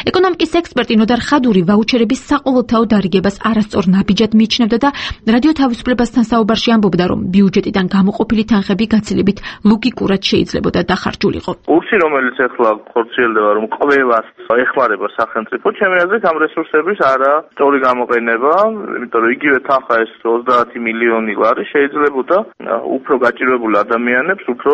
ეკონომიკის ექსპერტი ნოდარ ხადური ვაუჩერების საყოველთაო დარიგებას არასწორ ნაბიჯად მიიჩნევდა და რადიო თავისუფლებასთან საუბარში ამბობდა, რომ ბიუჯეტიდან გამოყოფილი თანხები გაცილებით ლოგიკურად შეიძლებოდა დახარჯულიყო. კურსი, რომელიც ახლა ხორციელდება, რომ ყველას ეხმარება სახელმწიფო, ჩემი აზრით ამ რესურსების არა სწორი გამოყენება, იმიტომ რომ იგივე თანხა ეს ოცდაათი მილიონი ლარი შეიძლებოდა უფრო გაჭირვებულ ადამიანებს უფრო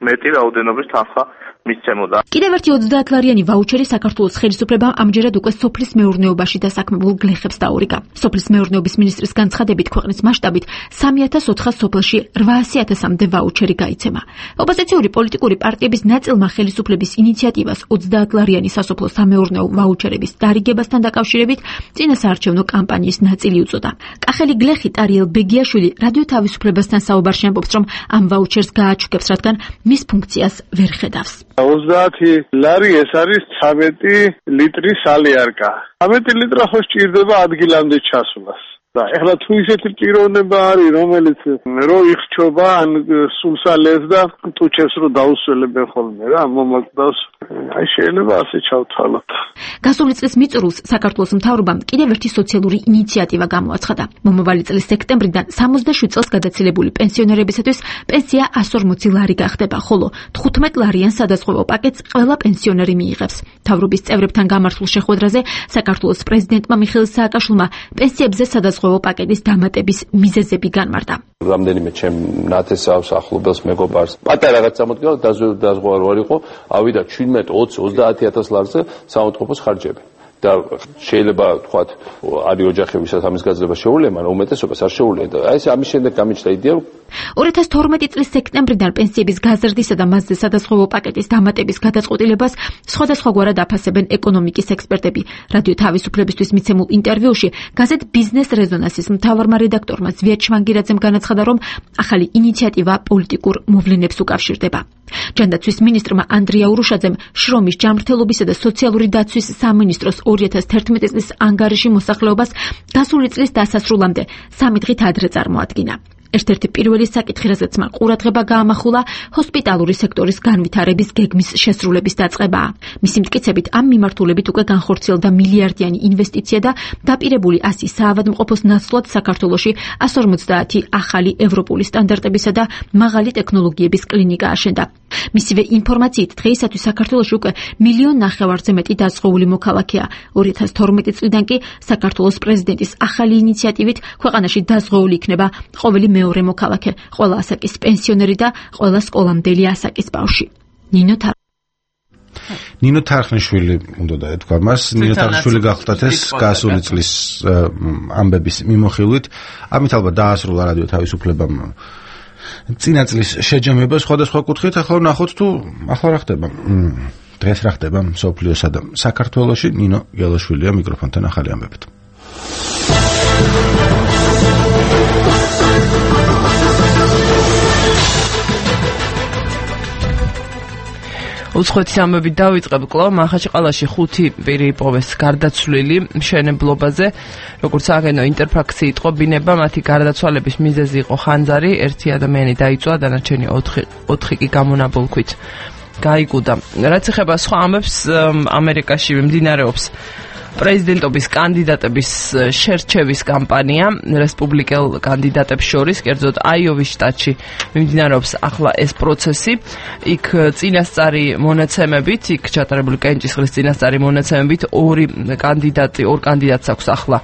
მეტი რაოდენობის თანხა მისცემოდა. კიდევ ერთი ოცდაათლარიანი ვაუჩერი საქართველოს ხელისუფლებამ ამჯერად უკვე სოფლის მეურნეობაში დასაქმებულ გლეხებს დაურიგა. სოფლის მეურნეობის მინისტრის განცხადებით, ქვეყნის მასშტაბით სამი ათას ოთხას სოფელში რვაასი ათასამდე ვაუჩერი გაიცემა. ოპოზიციური პოლიტიკური პარტიების ნაწილმა ხელისუფლების ინიციატივას ოცდაათლარიანი სასოფლო სამეურნეო ვაუჩერების დარიგებასთან დაკავშირებით წინასაარჩევნო კამპანიის ნაწილი უწოდა. კახელი გლეხი ტარიელ ბეგიაშვილი რადიო თავისუფლებასთან საუბარში ამბობს, რომ ამ ვაუჩერს გააჩუქებს, რადგან მის ფუნქციას ვერ ხედავს. ოცდაათი ლარი ეს არის ცამეტი ლიტრი სალიარკა. ცამეტი ლიტრა ხო სჭირდება ადგილამდე ჩასვლას. და ეხლა თუ ისეთი პიროვნება არის, რომელიც რო იხჩობა ან სულსალეს და ტუჩებს რო დაუსველებენ ხოლმე რა, მომაკვდავს. აი შეიძლება ასე ჩავთვალოთ. გასული წლის მიწურულს საქართველოს მთავრობამ კიდევ ერთი სოციალური ინიციატივა გამოაცხადა. მომავალი წლის სექტემბრიდან სამოცდაშვიდ წელს გადაცილებული პენსიონერებისათვის პენსია ასი ორმოცი ლარი გახდება, ხოლო თხუთმეტ ლარიან სადაზღვევო პაკეტს ყველა პენსიონერი მიიღებს. მთავრობის წევრებთან გამართულ შეხვედრაზე საქართველოს პრეზიდენტმა მიხეილ სააკაშვილმა პენსიებზე სადაზღვევო პაკეტის დამატების მიზეზები განმარტა. რამდენიმე ჩემ ნათესავს ახლობელს მეგობარს პატარა რაღაც წამოდგა დაზღვევა რო არ იყო, ავიდა ჩვიდმეტ ოცი ოცდაათი ათას ლარზე საავადმყოფოს ხარჯები. და შეიძლება თქვათ არის ოჯახებისაც ამის გაძლება შეუძლია, მაგრამ უმეტესობას არ შეუძლია და აი ეს ამის შემდეგ გამიჩნდა იდეა ორი ათას თორმეტი წლის სექტემბრიდან პენსიების გაზრდისა და მასზე სადაზღვევო პაკეტის დამატების გადაწყვეტილებას სხვადასხვაგვარად აფასებენ ეკონომიკის ექსპერტები. რადიო თავისუფლებისთვის მიცემულ ინტერვიუში გაზეთ ბიზნეს რეზონანსის მთავარმა რედაქტორმა ზვიად შვანგირაძემ განაცხადა, რომ ახალი ინიციატივა პოლიტიკურ მოვლენებს უკავშირდება. ჯანდაცვის მინისტრმა ანდრია ურუშაძემ შრომის ჯანმრთელობისა და სოციალური დაცვის სამინისტროს ორი ათას თერთმეტი წლის ანგარიში მოსახლეობას გასული წლის დასასრულამდე სამი დღით ადრე წარმოადგინა. ერთ-ერთი პირველი საკითხი, რასაც მან ყურადღება გაამახვილა, ჰოსპიტალური სექტორის განვითარების გეგმის შესრულების დაწყებაა. მისი მტკიცებით, ამ მიმართულებით უკვე განხორციელდა მილიარდიანი ინვესტიცია და დაპირებული ასი საავადმყოფოს ნაცვლად საქართველოში εκατს ორმოცდაათი ახალი ევროპული სტანდარტებისა და მაღალი ტექნოლოგიების კლინიკა აშენდა. მისივე ინფორმაციით, დღეისათვის საქართველოში უკვე მილიონ ნახევარზე მეტი დაზღვეული მოქალაქეა. ორი ათას თორმეტი წლიდან კი საქართველოს პრეზიდენტის ახალი ინიციატივით ქვეყანაში დაზღვეული იქნება ყოველი მეორე მოქალაქე, ყველა ასაკის პენსიონერი და ყველა სკოლამდელი ასაკის ბავშვი. ნინო თარ ნინო თარხნიშვილი უნდა დაეთქვა მას. ნინო თარხნიშვილი გახლდათ ეს გასული წლის ამბების მიმოხილვით. ამით ალბათ დაასრულა რადიო თავისუფლებამ წინა წლის შეჯამება სხვადასხვა კუთხით. ახლა ვნახოთ თუ ახლა რა ხდება. დღეს რა ხდება მსოფლიოსა და საქართველოში. ნინო გელაშვილია მიკროფონთან ახალი ამბებით. უცხოეთის ამბებით დავიწყებ. კვლავ მახაჩყალაში ხუთი პირი იპოვეს გარდაცვლილი მშენებლობაზე. როგორც აგენო ინტერფაქსი იტყობინება, მათი გარდაცვალების მიზეზი იყო ხანძარი, ერთი ადამიანი დაიწვა, დანარჩენი ოთხი კი გამონაბოლქვით გაიგუდა. რაც ეხება სხვა ამბებს, ამერიკაში მიმდინარეობს პრეზიდენტობის კანდიდატების შერჩევის კამპანია რესპუბლიკელ კანდიდატებს შორის, კერძოდ აიოვის შტატში მიმდინარეობს ახლა ეს პროცესი. იქ წინასწარი მონაცემებით, იქ ჩატარებული კენჭისყრის წინასწარი მონაცემებით ორი კანდიდატი, ორ კანდიდატს აქვს ახლა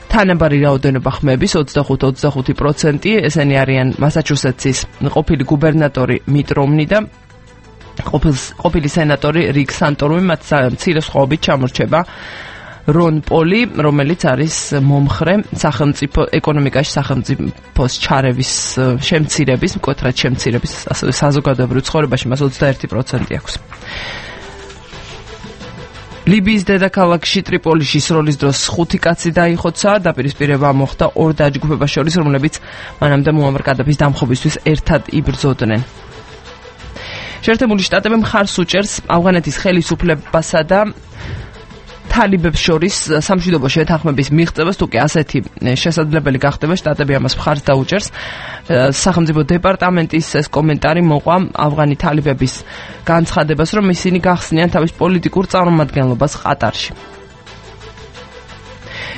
თანაბარი რაოდენობა ხმების ოცდახუთ ოცდახუთი პროცენტი. ესენი არიან მასაჩუსეტსის ყოფილი გუბერნატორი მიტ რომნი და ყოფილი სენატორი რიკ სანტორუმი, მათ მცირე სხვაობით ჩამორჩება რონ პოლი, რომელიც არის მომხრე სახელმწიფო ეკონომიკაში სახელმწიფოს ჩარევის შემცირების, მკვეთრად შემცირების, ასევე საზოგადოებრივ ცხოვრებაში მას ოცდაერთი პროცენტი აქვს. ლიბიის დედაქალაქში ტრიპოლიში სროლის დროს ხუთი კაცი დაიხოცა, დაპირისპირება მოხდა ორ დაჯგუფებას შორის, რომლებიც მანამდე მუამარ კადაფის დამხობისთვის ერთად იბრძოდნენ. შეერთებული შტატები მხარს უჭერს ავღანეთის ხელისუფლებასა და თალიბებს შორის სამშვიდობო შეთანხმების მიღწევას, თუ კი ასეთი შესაძლებელი გახდება, შტატები ამას მხარს დაუჭერს. სახელმწიფო დეპარტამენტის ეს კომენტარი მოყვა ავღანი თალიბების განცხადებას, რომ ისინი გახსნიან თავის პოლიტიკურ წარმომადგენლობას ყატარში.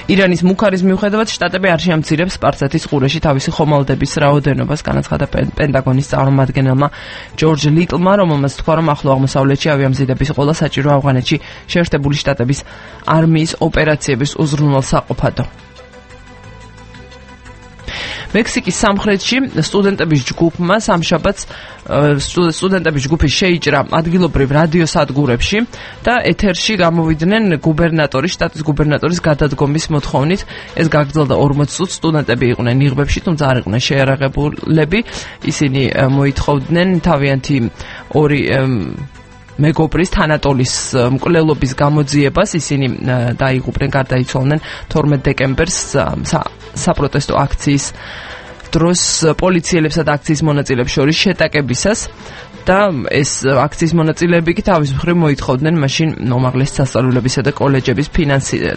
ირანის მუქარის მიუხედავად შტატები არ შეამცირებს სპარსეთის ყურეში თავისი ხომალდების რაოდენობას, განაცხადა პენტაგონის წარმომადგენელმა ჯორჯ ლიტლმა, რომელმაც თქვა, რომ ახლო აღმოსავლეთში ავიამზიდების ყოლა საჭირო ავღანეთში შეერთებული შტატების არმიის ოპერაციების უზრუნველსაყოფადო. მექსიკის სამხრეთში სტუდენტების ჯგუფმა სამშაბათს სტუდენტების ჯგუფი შეიჭრა ადგილობრივ რადიო სადგურებში და ეთერში გამოვიდნენ გუბერნატორის, შტატის გუბერნატორის გადადგომის მოთხოვნით. ეს გაგრძელდა ორმოც წუთს. სტუდენტები იყვნენ იღბებში, თუმცა არ იყვნენ შეიარაღებულები. ისინი მოითხოვდნენ თავიანთი ორი მეგობრის თანატოლის მკვლელობის გამოძიებას. ისინი დაიღუპნენ, გარდაიცვალნენ თორმეტ დეკემბერს საპროტესტო აქციის დროს პოლიციელებსა და აქციის მონაწილეებს შორის შეტაკებისას და ეს აქციის მონაწილეები კი თავის მხრივ მოითხოვდნენ მაშინ უმაღლესი სასწავლებლებისა და კოლეჯების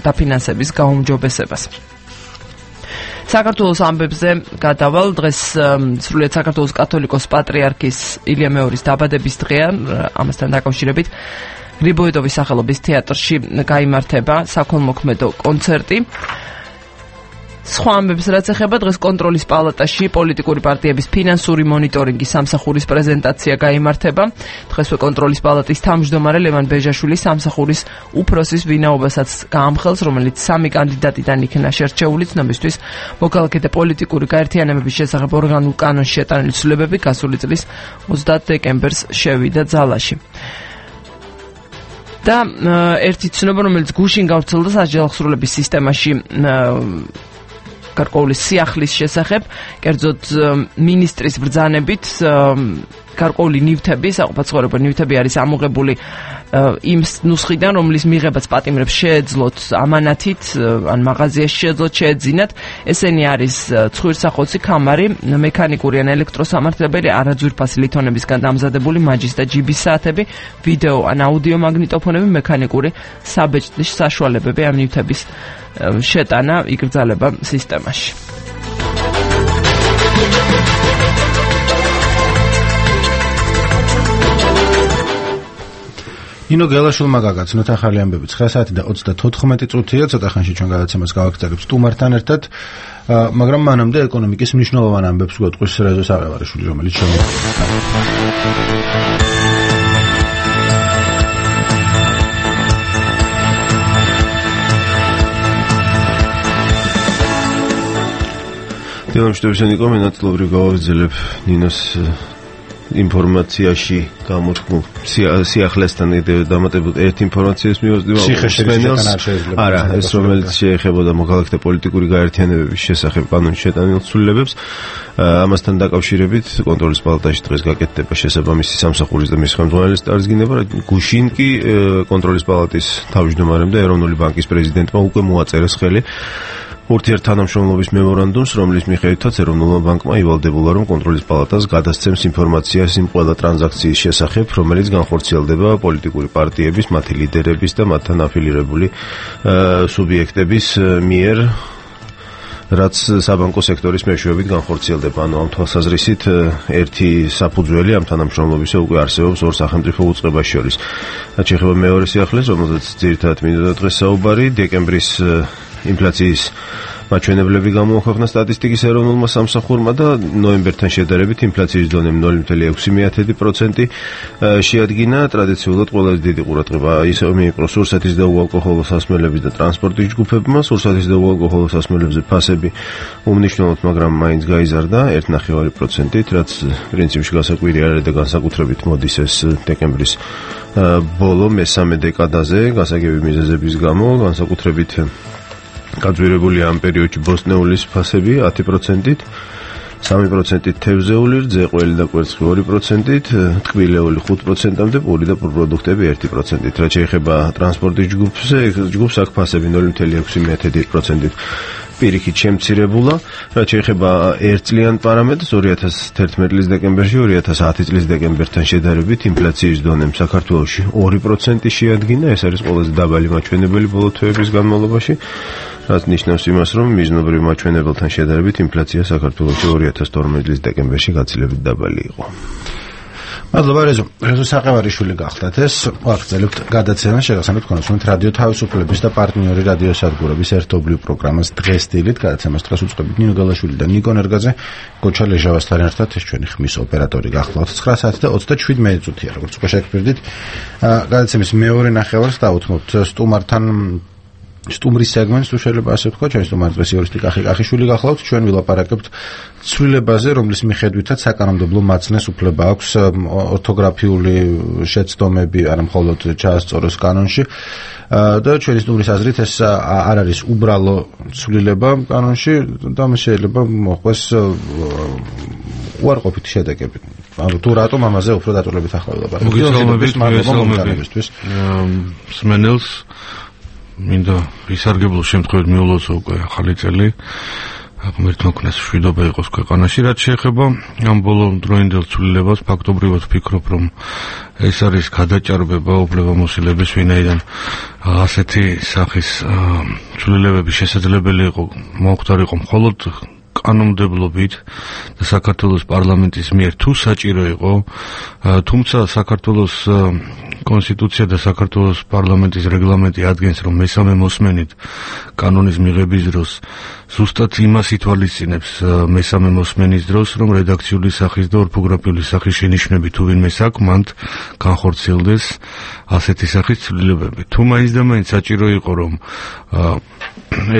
დაფინანსების გაუმჯობესებას. საქართველოს ამბებზე გადავალ. დღეს სრულიად საქართველოს კათოლიკოს პატრიარქის ილია მეორის დაბადების დღეა. ამასთან დაკავშირებით გრიბოედოვის სახელობის თეატრში გაიმართება საქველმოქმედო კონცერტი. სხვა ამბებს რაც ეხება, დღეს კონტროლის პალატაში პოლიტიკური პარტიების ფინანსური მონიტორინგის სამსახურის პრეზენტაცია გაიმართება. დღესვე კონტროლის პალატის თავმჯდომარე ლევან ბეჟაშვილის სამსახურის უფროსის ვინაობასაც გაამხელს, რომელიც სამი კანდიდატიდან იქნა შერჩეული. ცნობისთვის მოქალაქე და პოლიტიკური გაერთიანებების შესახებ ორგანულ კანონში შეტანილი ცვლილებები გასული წლის ოცდაათ დეკემბერს შევიდა ძალაში. და ერთი ცნობა, რომელიც გუშინ გავრცელდა საჯელახსრულების სისტემაში გარკვეული სიახლის შესახებ, კერძოდ მინისტრის ბრძანებით გარკვეული ნივთები, საყოფაცხოვრებო ნივთები არის ამოღებული იმ ნუსხიდან, რომლის მიღებაც პატიმრებს შეეძლოთ ამანათით, ან მაღაზიაში შეეძლოთ შეეძინათ. ესენი არის ცხვირსახოცი, ქამარი, მექანიკური ან ელექტროსამართლებელი, არაძვირფასი ლითონებისგან დამზადებული მაჯის და ჯიბის საათები, ვიდეო ან აუდიო მაგნიტოფონები, მექანიკური საბეჭდის საშუალებები ამ ნივთების შეტანა იკრძალება სისტემაში. ინო გელაშვილმა გაგაცნოთ ახალი ამბები ცხრა საათი და ოცდათოთხმეტი წუთია, ცოტა ხანში ჩვენ გადაცემას გავაგრძელებთ სტუმართან ერთად, მაგრამ მანამდე ეკონომიკის მნიშვნელოვან ამბებს გვეტყვის რეზო საყევარიშვილი, რომელიც დილამშვიდობისა ნიკო, მე ნაწილობრივ გავაგრძელებ ნინოს ინფორმაციაში გამოთქმულ სიახლესთან დამატებულ ერთ ინფორმაციას მივაზრდება სიხეშერისგან არ შეიძლება. არა, ეს რომელიც შეეხებოდა მოქალაქეთა პოლიტიკური გაერთიანებების შესახებ კანონის შეტანილ ცვლილებებს, ამასთან დაკავშირებით კონტროლის პალატაში დღეს გაკეთდება შესაბამისი სამსახურის და მის ხელმძღვანელის წარსდგინება. გუშინ კი კონტროლის პალატის თავმჯდომარემ და ეროვნული ბანკის პრეზიდენტმა უკვე მოაწერეს ხელი ურთიერთთანამშრომლობის მემორანდუმს, რომლის მიხედვითაც ეროვნულმა ბანკმა ივალდებულა, რომ კონტროლის პალატას გადასცემს ინფორმაციას იმ ყველა ტრანზაქციის შესახებ, რომელიც განხორციელდება პოლიტიკური პარტიების, მათი ლიდერების და მათთან აფილირებული სუბიექტების მიერ, რაც საბანკო სექტორის მეშვეობით განხორციელდება. ანუ ამ თვალსაზრისით ერთი საფუძველი ამ თანამშრომლობისა უკვე არსებობს ორ სახელმწიფო უწყებას შორის. რაც შეეხება მეორე სიახლეს, რომელზეც ძირითადად მინდოდა დღეს საუბარი, დეკემბრის ინფლაციის მაჩვენებლები გამოუქვეყნა სტატისტიკის ეროვნულმა სამსახურმა და ნოემბერთან შედარებით ინფლაციის დონე ნული კoma ექვსი პროცენტი შეადგინა. ტრადიციულად ყველაზე დიდი ყურადღება ისევ მიიპყრო სურსათის და უალკოჰოლო სასმელების და ტრანსპორტის ჯგუფებმა. სურსათის და უალკოჰოლო სასმელებზე ფასები უმნიშვნელოდ, მაგრამ მაინც გაიზარდა ერთ კoma ნახევარი პროცენტით, რაც პრინციპში გასაკვირი არის და განსაკუთრებით მოდის ეს დეკემბრის ბოლო მესამე დეკადაზე გასაგები მიზეზების გამო, განსაკუთრებით გაძვირებულია ამ პერიოდში ბოსტნეულის ფასები ათი პროცენტით, სამი პროცენტით თევზეული, რძეყველი და კვერცხი ორი პროცენტით, ტკბილეული ხუთ პროცენტამდე, პური და პროდუქტები ერთი პროცენტით. რაც შეეხება ტრანსპორტის ჯგუფზე, ჯგუფს აქ ფასები ნული კoma ექვსი პროცენტით პირიქით შემცირებულა. რაც შეეხება ერთწლიან პარამეტრს, ორი ათას თერთმეტი წლის დეკემბერში ორი ათას ათი წლის დეკემბერთან შედარებით ინფლაციის დონემ საქართველოში ორი პროცენტი შეადგინა. ეს არის ყველაზე დაბალი მაჩვენებელი ბოლო თვეების განმავლობაში, რაც ნიშნავს იმას, რომ მიზნობრივ მაჩვენებელთან შედარებით ინფლაცია საქართველოში ორი ათას თორმეტი წლის დეკემბერში გაცილებით დაბალი იყო. მადლობა რეზო. რეზო საყევარიშვილი გახდათ ეს. ვაგრძელებთ გადაცემას, შეგახსენებთ კონსულტანტ რადიო თავისუფლების და პარტნიორი რადიო სადგურების ერთობლივ პროგრამას დღეს დილით. გადაცემას დღეს უწყობთ ნინო გალაშვილი და ნიკო ნერგაძე. გოჩა ლეჟავასთან ერთად ეს ჩვენი ხმის ოპერატორი გახლავთ. ცხრა საათი და ოცდაშვიდ წუთია, როგორც უკვე შეგფირდით. გადაცემის მეორე ნახევარს დავუთმობთ სტუმართან სტუმრის სეგმენტს, თუ შეიძლება ასე ვთქვა, ჩვენ სტუმარი დღეს იურისტი კახი კახიშვილი გახლავთ. ჩვენ ვილაპარაკებთ ცვლილებაზე, რომლის მიხედვითაც საკანონმდებლო მაცნეს უფლება აქვს ორთოგრაფიული შეცდომები არა მხოლოდ ჩაასწოროს კანონში და ჩვენი სტუმრის აზრით ეს არ არის უბრალო ცვლილება კანონში და შეიძლება მოხდეს უარყოფითი შედეგები. ანუ თუ რატომ ამაზე უფრო დაწვრილებით ახლა ვილაპარაკებთ. მოგესალმებით, მოგესალმებით. სმენელს მინდა ისარგებლო შემთხვევით მიულოცო უკვე ახალი წელი, ღმერთმა ქონდეს მშვიდობა იყოს ქვეყანაში. რაც შეეხება ამ ბოლო დროინდელ ცვლილებას, ფაქტობრივად ვფიქრობ, რომ ეს არის გადაჭარბება უფლებამოსილების, ვინაიდან ასეთი სახის ცვლილებები შესაძლებელი იყო მოხდარიყო მხოლოდ კანონმდებლობით და საქართველოს პარლამენტის მიერ თუ საჭირო იყო, თუმცა საქართველოს კონსტიტუცია და საქართველოს პარლამენტის რეგლამენტი ადგენს, რომ მესამე მოსმენით კანონის მიღების დროს ზუსტად იმას ითვალისწინებს მესამე მოსმენის დროს, რომ რედაქციული სახის და ორფოგრაფიული სახის შენიშვნები თუ ვინმე საკმაოდ განხორციელდეს ასეთი სახის ცვლილებები. თუ მაინც და მაინც საჭირო იყო, რომ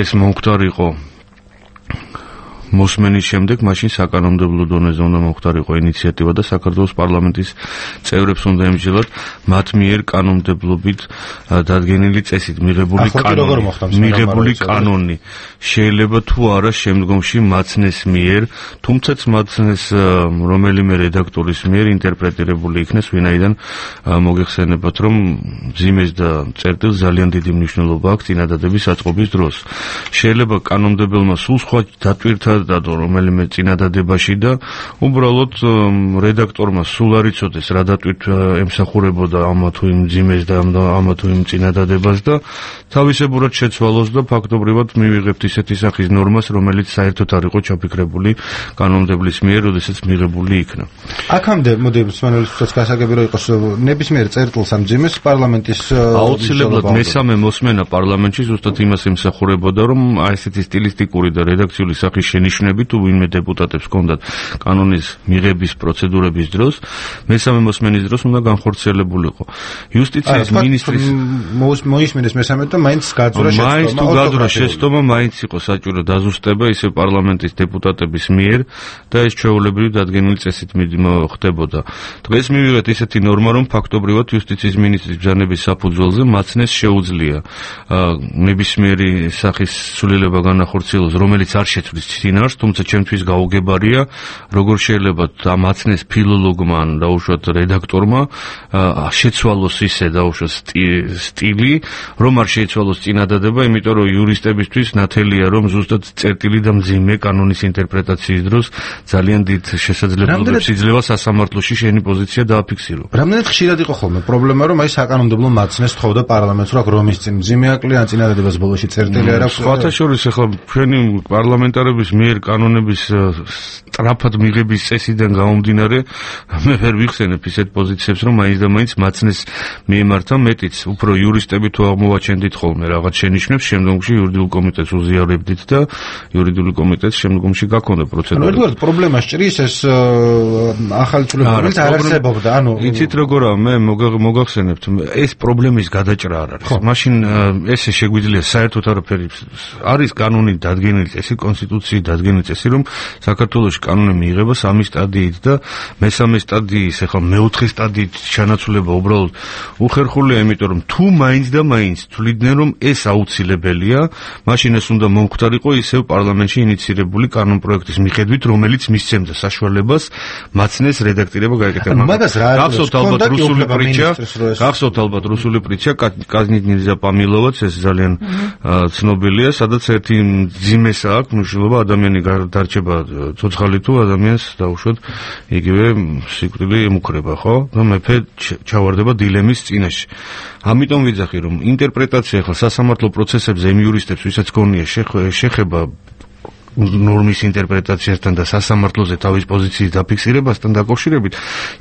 ეს მომხდარიყო მოსმენის შემდეგ მაშინ საკანონმდებლო დონეზე უნდა მომხდარიყო ინიციატივა და საქართველოს პარლამენტის წევრებს უნდა ემსჯელოთ მათ მიერ კანონმდებლობით დადგენილი წესით მიღებული კანონი მიღებული კანონი შეიძლება თუ არა შემდგომში მაცნეს მიერ თუმცა მაცნეს რომელიმე რედაქტორის მიერ ინტერპრეტირებული იქნეს ვინაიდან მოგეხსენებათ რომ მძიმეს და წერტილს ძალიან დიდი მნიშვნელობა აქვს წინადადების აწყობის დროს შეიძლება კანონმდებელმა სულ სხვა დატვირთა დადო რომელიმე წინადადებაში და უბრალოდ რედაქტორმა სულ არ იცოდეს რა დატვირთვა ემსახურებოდა ამა თუ იმ მძიმეს და ამა თუ იმ წინადადებას და თავისებურად შეცვალოს და ფაქტობრივად მივიღებთ ისეთი სახის ნორმას რომელიც საერთოდ არ იყო ჩაფიქრებული კანონმდებლის მიერ როდესაც მიღებული იქნა აქამდე მოდი მსმენელისთვის გასაგები რომ იყოს ნებისმიერ წერტილს ამ მძიმეს პარლამენტის აუცილებლად მესამე მოსმენა პარლამენტში ზუსტად იმას ემსახურებოდა რომ აი ესეთი სტილისტიკური და რედაქციული სახის შენიშვნები თუ ვინმე დეპუტატებს ჰქონდათ კანონის მიღების პროცედურების დროს მესამე მოსმენის დროს უნდა განხორციელებულიყო იუსტიციის მინისტრის მოისმინეს მესამე და მაინც გაძვრა შეცდომა მაინც თუ გაძვრა შეცდომა მაინც იყო საჭირო დაზუსტება ისე პარლამენტის დეპუტატების მიერ და ეს ჩვეულებრივი დადგენილი წესით ხდებოდა დღეს მივიღეთ ისეთი ნორმა რომ ფაქტობრივად იუსტიციის მინისტრის ბრძანების საფუძველზე მაცნეს შეუძლია ნებისმიერი სახის სულელება განახორციელოს რომელიც არ შეცვლის წინარს თუმცა ჩემთვის გაუგებარია როგორ შეიძლება მაცნეს ფილოლოგმა ან დაუშვათ რედაქტორმა შეცვალოს ისე დაუშვათ სტილი რომ არ შეიცვალოს წინადადება იმიტომ რომ იურისტებისთვის ნათელია რომ ზუსტად წერტილი და მძიმე კანონის ინტერპრეტაციის დროს ძალიან დიდ შესაძლებლობებს იძლევა სასამართლოში შენი პოზიცია დააფიქსირო რამდენად ხშირად იყო ხოლმე პრობლემა რომ აი საკანონმდებლო მაცნეს თხოვდა პარლამენტს რომ რომის წინ მძიმე აკლია ან წინადადებას ბოლოში წერტილი არ აქვს სხვათა შორის ახლა ჩვენი პარლამენტარების მიერ კანონების სწრაფად მიღების წესიდან გამომდინარე მე ვერ ვიხსენებ ისეთ პოზიციებს რომ მაინც და მაინც მაცნეს მიემართა მეტიც უფრო იურისტები თუ აღმოვაჩენდით ხოლმე რაღაც შენიშვნებს შემდგომში იურიდიულ კომიტეტს უზიარებდით და იურიდიული კომიტეტს შემდგომში გაქონდა პროცედურა. ანუ ერთგვარად პრობლემა სჭრის ეს ახალი ცვლილებები რომელიც არ არსებობდა. ანუ იცით როგორაა მე მოგახსენებთ ეს პრობლემის გადაჭრა არ არის. მაშინ ესე შეგვიძლია საერთოდ არაფერი არის კანონი დადგენილი წესი კონსტიტუციის დადგენილი წესი რომ საქართველოს კანონი მიიღება სამი სტადიით და მესამე სტადიის ახლა მეოთხე სტადიით ჩანაცვლება უბრალოდ უხერხულია იმიტომ რომ თუ მაინც და მაინც თვლიდნენ რომ ეს აუცილებელია მაშინ ეს უნდა მომხდარიყო ისევ პარლამენტში ინიცირებული კანონპროექტის მიხედვით რომელიც მისცემდა საშუალებას მაცნეს რედაქტირება გაეკეთება მაგას რა გახსოვთ ალბათ რუსული პრიჩა გახსოვთ ალბათ რუსული პრიჩა კაზნიტნიძე პამილოვაც ეს ძალიან ცნობილია სადაც ერთი ძიმესა აქვს მნიშვნელობა ადამიანი დარჩება ცოცხალი თუ ადამიანს დაუშვათ იგივე სიკვდილი ემუქრება ხო და მეფე ჩავარდება დილემის წინაშე ამიტომ ვიძახი რომ ინტერპრეტაცია ახლა სასამართლო პროცესებზე იმ იურისტებს ვისაც გონია შეხება ნორმის ინტერპრეტაციასთან და სასამართლოზე თავის პოზიციის დაფიქსირებასთან დაკავშირებით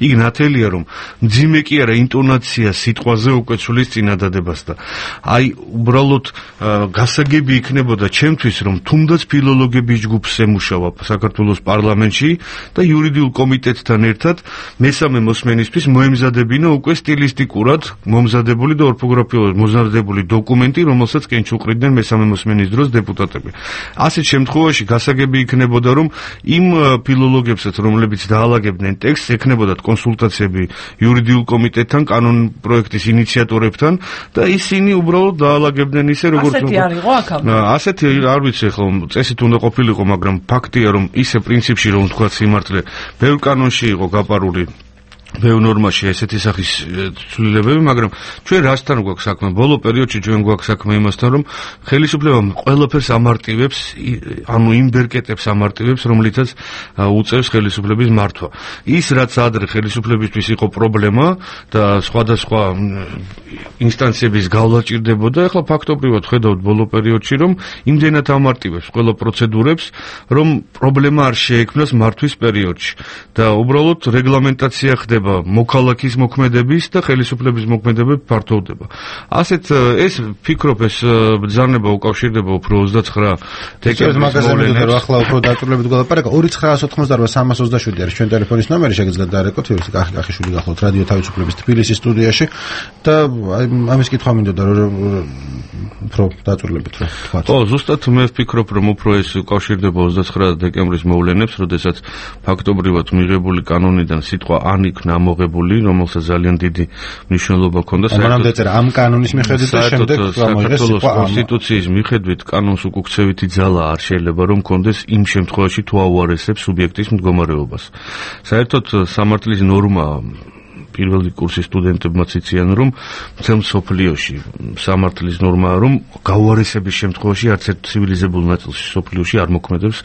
იქ ნათელია რომ მძიმე კი არა ინტონაცია სიტყვაზე უკვე ცვლის წინადადებას და აი უბრალოდ გასაგები იქნებოდა ჩემთვის რომ თუნდაც ფილოლოგების ჯგუფს ემუშავა საქართველოს პარლამენტში და იურიდიულ კომიტეტთან ერთად მესამე მოსმენისთვის მოემზადებინა უკვე სტილისტიკურად მომზადებული და ორთოგრაფიულად მომზადებული დოკუმენტი რომელსაც კენჭუყრიდნენ მესამე მოსმენის დროს დეპუტატები ასეთ შემთხვევაში გასაგები იქნებოდა რომ იმ ფილოლოგებსაც რომლებიც დაალაგებდნენ ტექსტს ექნებოდათ კონსულტაციები იურიდიულ კომიტეტთან კანონ პროექტის ინიციატორებთან და ისინი უბრალოდ დაალაგებდნენ ისე როგორც ასეთი არ იყო აქამდე ასეთი არ ვიცი ხო წესით უნდა ყოფილიყო მაგრამ ფაქტია რომ ისე პრინციპში რომ თქვა სიმართლე ბევრ კანონში იყო გაპარული ბევრ ნორმაში ესეთი სახის ცვლილებები, მაგრამ ჩვენ რასთან გვაქვს საქმე? ბოლო პერიოდში ჩვენ გვაქვს საქმე იმასთან, რომ ხელისუფლება ყველაფერს ამარტივებს, ანუ იმ ბერკეტებს ამარტივებს, რომლითაც უწევს ხელისუფლების მართვა. ის რაც ადრე ხელისუფლებისთვის იყო პრობლემა და სხვადასხვა ინსტანციების გავლა ჭირდებოდა, ახლა ფაქტობრივად ხედავთ ბოლო პერიოდში, რომ იმდენად ამარტივებს ყველა პროცედურებს, რომ პრობლემა არ შეექმნას მართვის პერიოდში და უბრალოდ რეგლამენტაცია ხდება ფართოვდება მოქალაქის მოქმედების და ხელისუფლების მოქმედებები ფართოვდება. ასეთ ეს ფიქრობ ეს ბრძანება უკავშირდება უფრო ოცდაცხრა დეკემბრის მოვლენებს. რომ ახლა უფრო დაწვრილებით გველაპარაკა ორი ცხრაას ოთხმოცდაოთხი სამას ოცდაშვიდი არის ჩვენ ტელეფონის ნომერი, შეგიძლიათ დაარეკოთ ვირუსი კახიშვილი გახლავთ რადიო თავისუფლების თბილისის სტუდიაში და ამის კითხვა მინდოდა რომ უფრო დაწვრილებით რომ თქვა. ო ზუსტად მე ვფიქრობ რომ უფრო ეს უკავშირდება ოცდაცხრა დეკემბრის მოვლენებს, როდესაც ფაქტობრივად მიღებული კანონიდან სიტყვა ან იქნა ამოღებული, რომელსაც ძალიან დიდი მნიშვნელობა ჰქონდა საერთოდ ეწერა ამ კანონის მიხედვით და შემდეგ გამოიღეს სიტყვა კონსტიტუციის მიხედვით კანონს უკუქცევითი ძალა არ შეიძლება რომ ჰქონდეს იმ შემთხვევაში თუ აუარესებს სუბიექტის მდგომარეობას. საერთოდ სამართლის ნორმა პირველი კურსის სტუდენტებმაც იციან რომ მთელ მსოფლიოში სამართლის ნორმაა რომ გაუარესების შემთხვევაში არც ერთ ცივილიზებულ ნაწილში მსოფლიოში არ მოქმედებს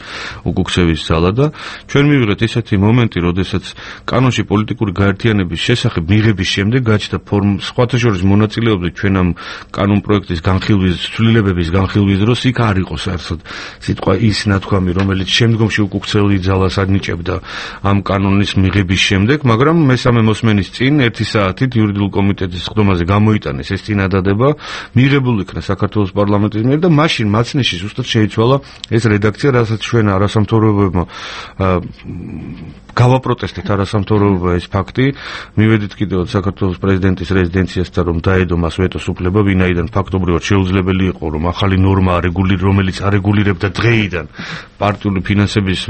უკუქცევის ძალა და ჩვენ მივიღეთ ესეთი მომენტი, როდესაც კანონში პოლიტიკური გაერთიანების შესახებ მიღების შემდეგ გაჩნდა სხვათა შორის მონაწილეობით ჩვენ ამ კანონ პროექტის განხილვის ცვლილებების განხილვის დროს იქ არ იყო საერთოდ სიტყვა ის ნათქვამი, რომელიც შემდგომში უკუქცეული ძალას ანიჭებდა ამ კანონის მიღების შემდეგ, მაგრამ მესამე მოსმენის წინ ერთი საათით იურიდიულ კომიტეტის ხდომაზე გამოიტანეს ეს წინადადება, მიღებულ იქნა საქართველოს პარლამენტის მიერ და მაშინ მაცნეში ზუსტად შეიცვალა ეს რედაქცია, რასაც ჩვენ არასამთავრობოებმა გავაპროტესტეთ არასამთავრობოებმა ეს ფაქტი, მივედით კიდევ საქართველოს პრეზიდენტის რეზიდენციასთან რომ დაედო მას ვეტოს უფლება, ვინაიდან ფაქტობრივად შეუძლებელი იყო რომ ახალი ნორმა არეგულირ, რომელიც არეგულირებდა დღეიდან პარტიული ფინანსების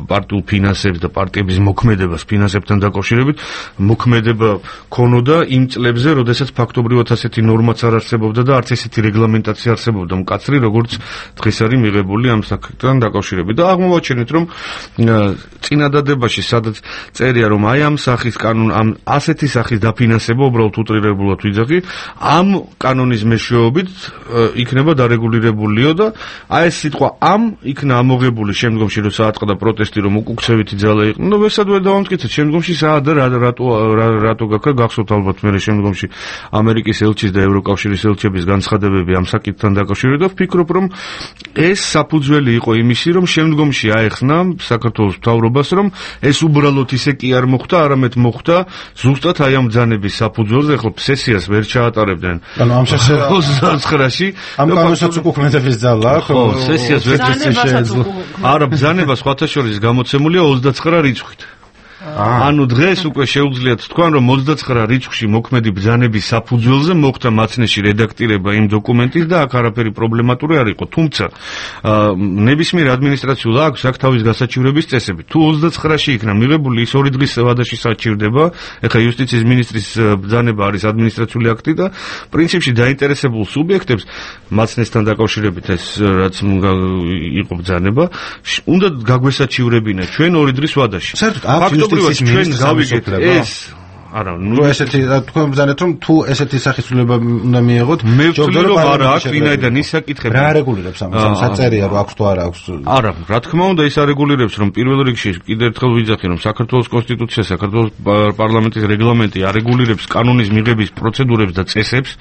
პარტიულ ფინანსებს და პარტიების მოქმედებას ფინანსებთან დაკავშირებით მოქმედება ქონოდა იმ წლებზე, როდესაც ფაქტობრივად ასეთი ნორმაც არ არსებობდა და არც ესეთი რეგლამენტაცია არსებობდა მკაცრი, როგორც დღეს არის მიღებული ამ საკითხთან დაკავშირებით. და აღმოვაჩენეთ, რომ წინადადებაში სადაც წერია, რომ აი ამ სახის კანონ, ამ ასეთი სახის დაფინანსება უბრალოდ უტრირებულად ვიძახი, ამ კანონის მეშვეობით იქნება დარეგულირებულიო და აი ეს სიტყვა ამ იქნა ამოღებული შემდგომში, როცა აწყდა პროტესტი, რომ უკუქცევითი ძალა იყო. ნუ ვესად ვერ დავამტკიცეთ, შემდგომში საათ და რატო რატო გაქრა გახსოვთ ალბათ მე შემდგომში ამერიკის ელჩის და ევროკავშირის ელჩების განცხადებები ამ საკითხთან დაკავშირებით და ვფიქრობ, რომ ეს საფუძველი იყო იმისი, რომ შემდგომში აეხსნა საქართველოს მთავრობას, რომ ეს უბრალოდ ისე კი არ მოხდა, არამედ მოხდა ზუსტად აი ამ ბრძანების საფუძველზე, ხო სესიას ვერ ჩაატარებდნენ. ანუ ამ სესიას ოცდაცხრაში ამ კანონსაც უკუქმედების ძალა, ხო სესიას ვერ შეეძლო. არა, ბრძანება სხვათა შორის გამოცემულია ოცდაცხრა რიცხვით. ანუ დღეს უკვე შეუძლიათ თქვან, რომ ოცდაცხრა რიცხვში მოქმედი ბრძანების საფუძველზე მოხდა მაცნეში რედაქტირება იმ დოკუმენტის და აქ არაფერი პრობლემატური არ იყო. თუმცა ნებისმიერ ადმინისტრაციულ აქტს აქვს თავის გასაჩივრების წესები. თუ ოცდაცხრაში იქნა მიღებული, ის ორი დღის ვადაში საჩივრდება. ეხლა იუსტიციის მინისტრის ბრძანება არის ადმინისტრაციული აქტი და პრინციპში დაინტერესებულ სუბიექტებს მაცნესთან დაკავშირებით ეს რაც იყო ბრძანება, უნდა გაგვესაჩივრებინა ჩვენ ორი დღის ვადაში. საერთოდ ჩვენ გავიგეთ ეს არა, ნუ ესეთი თქვენ ბრძანეთ რომ თუ ესეთი სახისრულება უნდა მიიღოთ, მე ვთვლი რომ არა აქვს, ვინაიდან ის საკითხები რა რეგულირებს ამას, საწერია რომ აქვს თუ არა აქვს. არა, რა თქმა უნდა ის არეგულირებს, რომ პირველ რიგში კიდევ ერთხელ ვიძახი, რომ საქართველოს კონსტიტუცია, საქართველოს პარლამენტის რეგლამენტი არეგულირებს კანონის მიღების პროცედურებს და წესებს.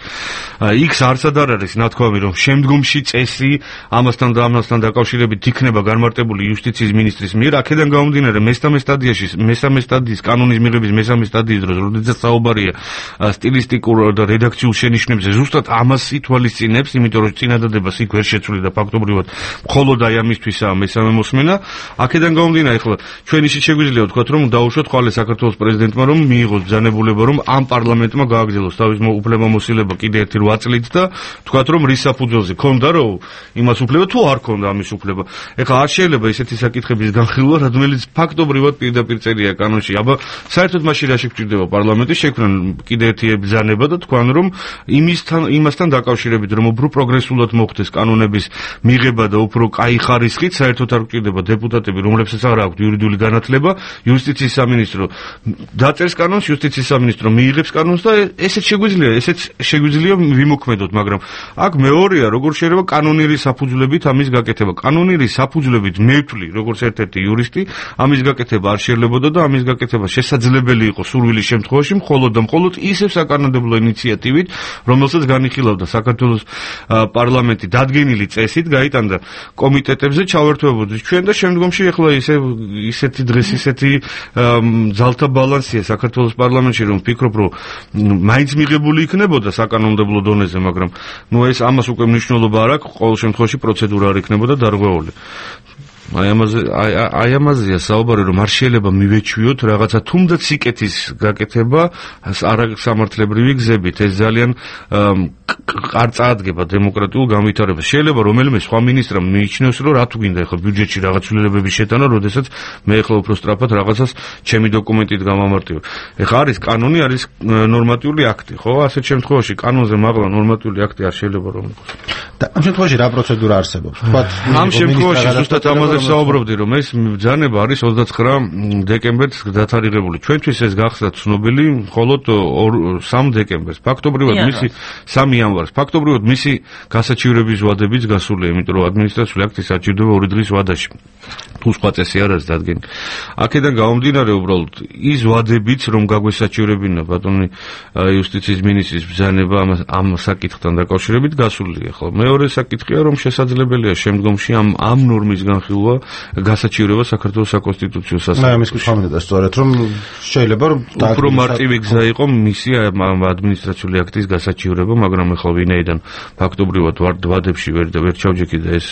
იქ არცად არ არის ნათქვამი, რომ შემდგომში წესი ამასთან და ამასთან დაკავშირებით იქნება განმარტებული იუსტიციის მინისტრის მიერ. აქედან გამომდინარე, მესამე სტადიაში, მესამე სტადიის კანონის მიღების მესამე სტადიის დროს როდესაც საუბარია სტილისტიკურ და რედაქციულ შენიშვნებზე, ზუსტად ამას ითვალისწინებს, იმიტომ რომ წინადადებას იქ ვერ შეცვლიდა ფაქტობრივად მხოლოდ აი ამისთვისაა მესამე მოსმენა. აქედან გამომდინარე, ახლა ჩვენ ისიც შეგვიძლია ვთქვათ, რომ დაუშვათ ხვალე საქართველოს პრეზიდენტმა, რომ მიიღოს ბრძანებულება, რომ ამ პარლამენტმა გააგრძელოს თავის უფლებამოსილება კიდე ერთი რვა წლით და ვთქვათ, რომ რის საფუძველზე ქონდა რომ იმას უფლება თუ არ ქონდა ამის უფლება. ეხლა არ შეიძლება ისეთი საკითხების განხილვა, რომელიც ფაქტობრივად პირდაპირ წერია კანონში. აბა საერთოდ მაშინ რა შეგვჭირდება პარლამენტის შექმნან კიდე ერთი ბრძანება და თქვან რომ იმისთან იმასთან დაკავშირებით რომ უფრო პროგრესულად მოხდეს კანონების მიღება და უფრო კაი ხარისხით საერთოდ არ გვჭირდება დეპუტატები, რომლებსაც არ აქვთ იურიდიული განათლება, იუსტიციის სამინისტრო დაწერს კანონს, იუსტიციის სამინისტრო მიიღებს კანონს და ესეც შეგვიძლია, ესეც შეგვიძლია ვიმოქმედოთ, მაგრამ აქ მეორეა როგორ შეიძლება კანონიერი საფუძვლებით ამის გაკეთება. კანონიერი საფუძვლებით მე ვთვლი, როგორც ერთ-ერთი იურისტი, ამის გაკეთება არ შეიძლებოდა და ამის გაკეთება შესაძლებელი იყო სურვილის შემთხვევაში მხოლოდ და მხოლოდ ისევ საკანონმდებლო ინიციატივით, რომელსაც განიხილავდა საქართველოს პარლამენტი დადგენილი წესით, გაიტანდა კომიტეტებზე ჩავერთვებოდეს ჩვენ და შემდგომში ახლა ისე ისეთი დღეს ისეთი ძალთა ბალანსია საქართველოს პარლამენტში, რომ ვფიქრობ, რომ მაინც მიღებული იქნებოდა საკანონმდებლო დონეზე, მაგრამ ნუ ეს ამას უკვე მნიშვნელობა არ აქვს, ყოველ შემთხვევაში პროცედურა არ იქნებოდა დარღვეული. აი ამაზე აი ამაზეა საუბარი, რომ არ შეიძლება მივეჩვიოთ რაღაცა თუნდაც სიკეთის გაკეთება არასამართლებრივი გზებით. ეს ძალიან არ წაადგება დემოკრატიულ განვითარებას. შეიძლება რომელიმე სხვა მინისტრმა მიიჩნევს, რომ რა თუ გინდა ახლა ბიუჯეტში რაღაც ცვლილებების შეტანა, როდესაც მე ახლა უფრო სწრაფად რაღაცას ჩემი დოკუმენტით გამამარტივებ. ეხლა არის კანონი, არის ნორმატიული აქტი, ხო? ასეთ შემთხვევაში კანონზე მაღლა ნორმატიული აქტი არ შეიძლება რომ იყოს. და ამ შემთხვევაში რა პროცედურა არსებობს? თქვათ ამ შემთხვევაში ზუსტად ამაზე საუბრობდი, რომ ეს ბრძანება არის ოცდაცხრა დეკემბერს დათარიღებული. ჩვენთვის ეს გახსნა ცნობილი მხოლოდ სამი დეკემბერს. ფაქტობრივად მისი სამი იანვარს. ფაქტობრივად მისი გასაჩივრების ვადებიც გასულია, იმიტომ რომ ადმინისტრაციული აქტი საჭიროდება ორი დღის ვადაში. თუ სხვა წესი არ არის დადგენილი. აქედან გამომდინარე უბრალოდ ის ვადებიც, რომ გაგვესაჩივრებინა ბატონი იუსტიციის მინისტრის ბრძანება ამ საკითხთან დაკავშირებით გასულია. ხო, მეორე საკითხია, რომ შესაძლებელია შემდგომში ამ ამ ნორმის განხილვა გასაჩივრება საქართველოს საკონსტიტუციო სასამართლოში. მე ამის კითხავდა სწორედ, რომ შეიძლება რომ უფრო მარტივი გზა იყო მისი ადმინისტრაციული აქტის გასაჩივრება, მაგრამ ახლა ვინაიდან ფაქტობრივად ვადებში ვერ ვერ ჩავჯექი და ეს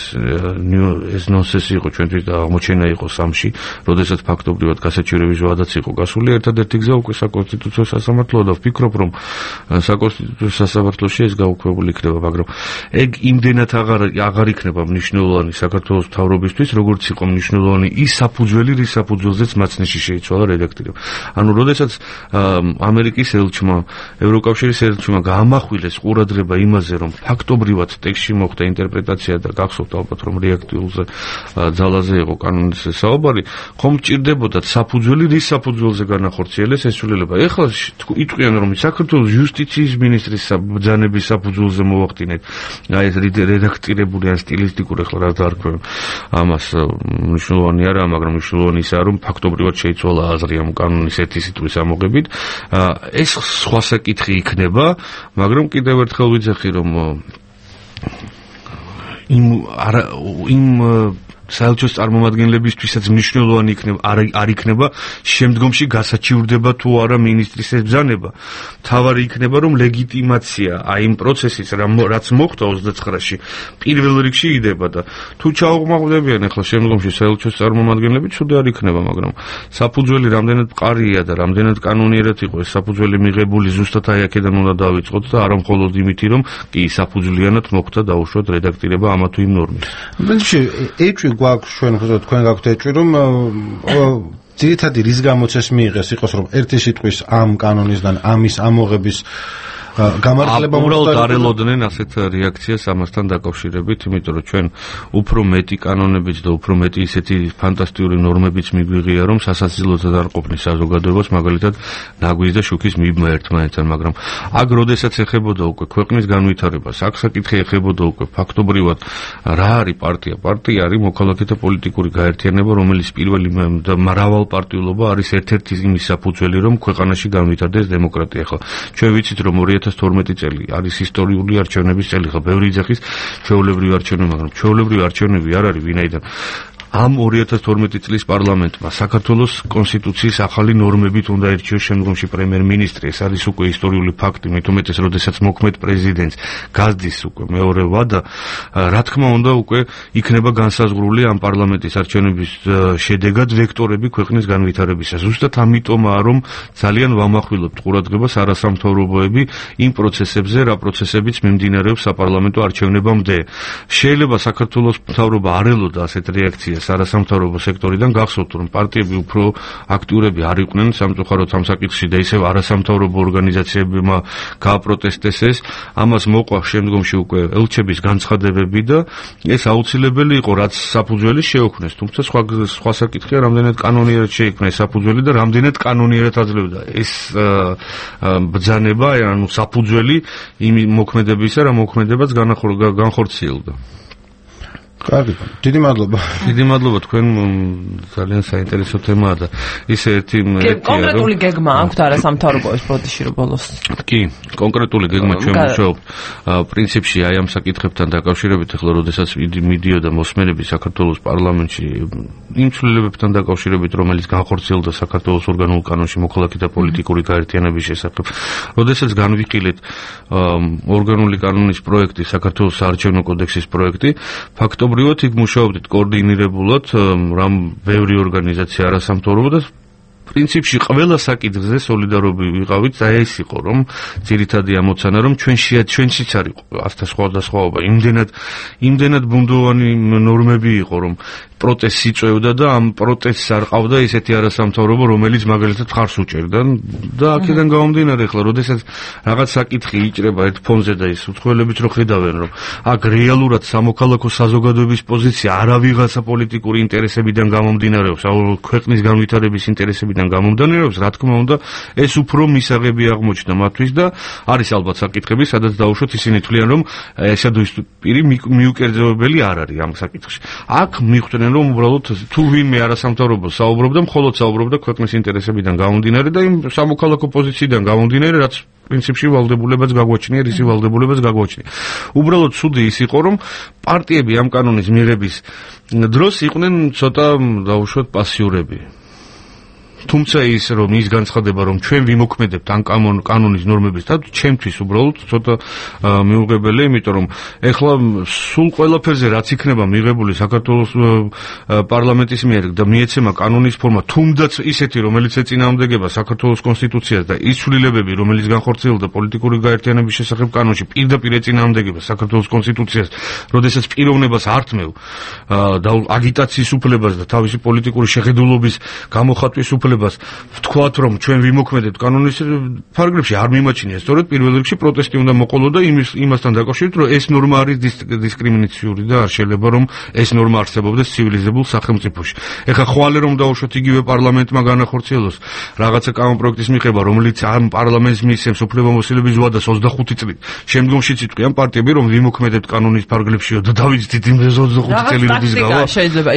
ეს ნონსენსი იყო ჩვენთვის და აღმოჩენა იყო სამში, როდესაც ფაქტობრივად გასაჩივრების ვადაც იყო გასული. ერთადერთი გზა უკვე საკონსტიტუციო სასამართლოა და ვფიქრობ, რომ საკონსტიტუციო სასამართლოში ეს გაუქმებული იქნება, მაგრამ ეგ იმდენად აღარ აღარ იქნება მნიშვნელოვანი საქართველოს მთავრობისთვის, როგორც იყო მნიშვნელოვანი ის საფუძველი, რის საფუძველზეც მაცნეში შეიცვალა რედაქტირება. ანუ როდესაც ამერიკის ელჩმა, ევროკავშირის ელჩმა გაამახვილეს ყურადღება იმაზე, რომ ფაქტობრივად ტექსტში მოხდა ინტერპრეტაცია და გახსოვთ ალბათ, რომ რეაქტიულზე ძალაზე იყო კანონის საუბარი, ხომ ჭირდებოდათ საფუძველი, რის საფუძველზე განახორციელეს ეს ცვლილება. ეხლა იტყვიან, რომ საქართველოს იუსტიციის მინისტრის ბრძანების საფუძველზე მოვახდინეთ აი ეს რედაქტირებული ან სტილისტიკური ახლა რა დაარქვენ ამას მნიშვნელოვანი არა, მაგრამ მნიშვნელოვანი ისაა, რომ ფაქტობრივად შეიცვალა აზრი ამ კანონის ერთი სიტყვის ამოღებით. ეს სხვა საკითხი იქნება, მაგრამ კიდევ ერთხელ ვიძახი, რომ იმ იმ საელჩოს წარმომადგენლებისთვისაც მნიშვნელოვანი იქნება არ იქნება შემდგომში გასაჩივრდება თუ არა მინისტრის ეს ბრძანება. თავარი იქნება, რომ ლეგიტიმაცია აი იმ პროცესის რაც მოხდა ოცდაცხრაში პირველ რიგში იდება და თუ ჩაუღმავდებიან ახლა შემდგომში საელჩოს წარმომადგენლები, ცუდი არ იქნება, მაგრამ საფუძველი რამდენად მყარია და რამდენად კანონიერად იყო ეს საფუძველი მიღებული, ზუსტად აი აქედან უნდა დავიწყოთ და არა მხოლოდ იმითი, რომ კი საფუძვლიანად მოხდა დაუშვათ რედაქტირება ამა თუ იმ ნორმის. პრინციპში ეჭვი გვაქვს ჩვენ ხო თქვენ გაქვთ ეჭვი, რომ ძირითადი რის გამოც ეს მიიღეს იყოს, რომ ერთი სიტყვის ამ კანონისგან ამის ამოღების გამართლება უბრალოდ არ ელოდნენ ასეთ რეაქციას ამასთან დაკავშირებით, იმიტომ რომ ჩვენ უფრო მეტი კანონებით და უფრო მეტი ისეთი ფანტასტიკური ნორმებიც მიგვიღია, რომ სასაცილოთად არ ყოფნის საზოგადოებას, მაგალითად ნაგვის და შუქის მიბმა ერთმანეთთან, მაგრამ აქ როდესაც ეხებოდა უკვე ქვეყნის განვითარებას, აქ საკითხი ეხებოდა უკვე ფაქტობრივად რა არის პარტია? პარტია არის მოქალაქეთა პოლიტიკური გაერთიანება, რომელიც პირველი და მრავალპარტიულობა არის ერთ-ერთი იმის საფუძველი, რომ ქვეყანაში განვითარდეს დემოკრატია. ხო, ჩვენ ვიცით, რომ ორი ათას თორმეტი წელი არის ისტორიული არჩევნების წელი, ხო, ბევრი იძახის ჩვეულებრივი არჩევნები, მაგრამ ჩვეულებრივი არჩევნები არ არის, ვინაიდან ამ ორი ათას თორმეტი წლის პარლამენტმა საქართველოს კონსტიტუციის ახალი ნორმებით უნდა ერჩიოს შემდგომში პრემიერ-მინისტრი. ეს არის უკვე ისტორიული ფაქტი, მით უმეტეს, როდესაც მოქმედ პრეზიდენტს გაზდის უკვე მეორე ვადა, რა თქმა უნდა უკვე იქნება განსაზღვრული ამ პარლამენტის არჩევნების შედეგად ვექტორები ქვეყნის განვითარებისა. ზუსტად ამიტომაა, რომ ძალიან ვამახვილებთ ყურადღებას არასამთავრობოები იმ პროცესებზე, რა პროცესებიც მიმდინარეობს საპარლამენტო არჩევნებამდე. შეიძლება საქართველოს მთავრობა არ ელოდა ასეთ რეაქციას არასამთავრობო სექტორიდან, გახსოვთ, რომ პარტიები უფრო აქტიურები არ იყვნენ სამწუხაროდ ამ საკითხში და ისევ არასამთავრობო ორგანიზაციებმა გააპროტესტეს ეს. ამას მოყვა შემდგომში უკვე ელჩების განცხადებები და ეს აუცილებელი იყო, რაც საფუძველი შეუქმნეს. თუმცა სხვა სხვა საკითხია, რამდენად კანონიერად შეიქმნა ეს საფუძველი და რამდენად კანონიერად აძლევდა ეს ბრძანება, ანუ საფუძველი იმ მოქმედებისა, რა მოქმედებაც განხორციელდა. კარგი, დიდი მადლობა. დიდი მადლობა, თქვენ ძალიან საინტერესო თემაა და ისე ერთი კონკრეტული გეგმა აქვთ არასამთავრობოების ბოდიში რო ბოლოს. კი, კონკრეტული გეგმა ჩვენ ვმუშაობთ. პრინციპში აი ამ საკითხებთან დაკავშირებით, ახლა როდესაც მიდიოდა მოსმენები საქართველოს პარლამენტში იმ ცვლილებებთან დაკავშირებით, რომელიც განხორციელდა საქართველოს ორგანულ კანონში მოქალაქეთა პოლიტიკური გაერთიანების შესახებ. როდესაც განვიხილეთ ორგანული კანონის პროექტი, საქართველოს საარჩევნო კოდექსის პროექტი, ფაქტობრივად იქ მუშაობდით კოორდინირებულად, რამ ბევრი ორგანიზაცია არასამთავრობო და პრინციპში ყველა საკითხზე სოლიდარობი ვიყავით, და ეს იყო, რომ ძირითადი ამოცანა, რომ ჩვენ ჩვენშიც არის ასთა სხვადასხვაობა, იმდენად იმდენად ბუნდოვანი ნორმები იყო, რომ პროტესტს იწვევდა და ამ პროტესტს არ ყავდა ესეთი არასამთავრობო, რომელიც მაგალითად ხარს უჭერდა და აქედან გამომდინარე, ახლა როდესაც რაღაც საკითხი იჭრება ერთ ფონზე და ის უცხოელებით რო ხედავენ, რომ აქ რეალურად სამოქალაქო საზოგადოების პოზიცია არა ვიღაცა პოლიტიკური ინტერესებიდან გამომდინარეობს, აუ ქვეყნის განვითარების ინტერესებიდან გამომდინარეობს, რა თქმა უნდა, ეს უფრო მისაღები აღმოჩნდა მათთვის და არის ალბათ საკითხები, სადაც დაუშვათ ისინი თვლიან, რომ ესადუის პირი მიუკერძოებელი არ არის ამ საკითხში. აქ მიხვდნენ, რომ უბრალოდ თუ ვინმე არასამთავრობო საუბრობდა, მხოლოდ საუბრობდა ქვეყნის ინტერესებიდან გამომდინარე და იმ სამოქალაქო პოზიციიდან გამომდინარე, რაც პრინციპში ვალდებულებაც გაგვაჩნია, ისი ვალდებულებაც გაგვაჩნია. უბრალოდ ცუდი ის იყო, რომ პარტიები ამ კანონის მიღების დროს იყვნენ ცოტა დაუშვათ პასიურები. თუმცა ის რომ ის განცხადება, რომ ჩვენ ვიმოქმედებთ ამ კანონის ნორმების და ჩემთვის უბრალოდ ცოტა მიუღებელია, იმიტომ რომ ეხლა სულ ყველაფერზე რაც იქნება მიღებული საქართველოს პარლამენტის მიერ და მიეცემა კანონის ფორმა, თუნდაც ისეთი, რომელიც ეწინააღმდეგება საქართველოს კონსტიტუციას და ის ცვლილებები, რომელიც განხორციელდა პოლიტიკური გაერთიანების შესახებ კანონში, პირდაპირ ეწინააღმდეგება საქართველოს კონსტიტუციას, როდესაც პიროვნებას ართმევ და აგიტაციის უფლებას და თავისი პოლიტიკური შეხედულობის გამოხატვის უფლებას ვთქვათ, რომ ჩვენ ვიმოქმედებთ კანონის ფარგლებში, არ მიმაჩნია. სწორედ პირველ რიგში პროტესტი უნდა მოყოლო და იმასთან დაკავშირებით, რომ ეს ნორმა არის დისკრიმინაციული და არ შეიძლება, რომ ეს ნორმა არსებობდეს ცივილიზებულ სახელმწიფოში. ეხლა ხვალე რომ დაუშვათ იგივე პარლამენტმა განახორციელოს რაღაცა კანონპროექტის მიღება, რომელიც ამ პარლამენტს მისცემს უფლებამოსილების ვადას ოცდახუთი წლით. შემდგომშიც იტყვიან პარტიები, რომ ვიმოქმედებთ კანონის ფარგლებშიო და დავიცდით იმ ოცდახუთი წელი როდის გავა.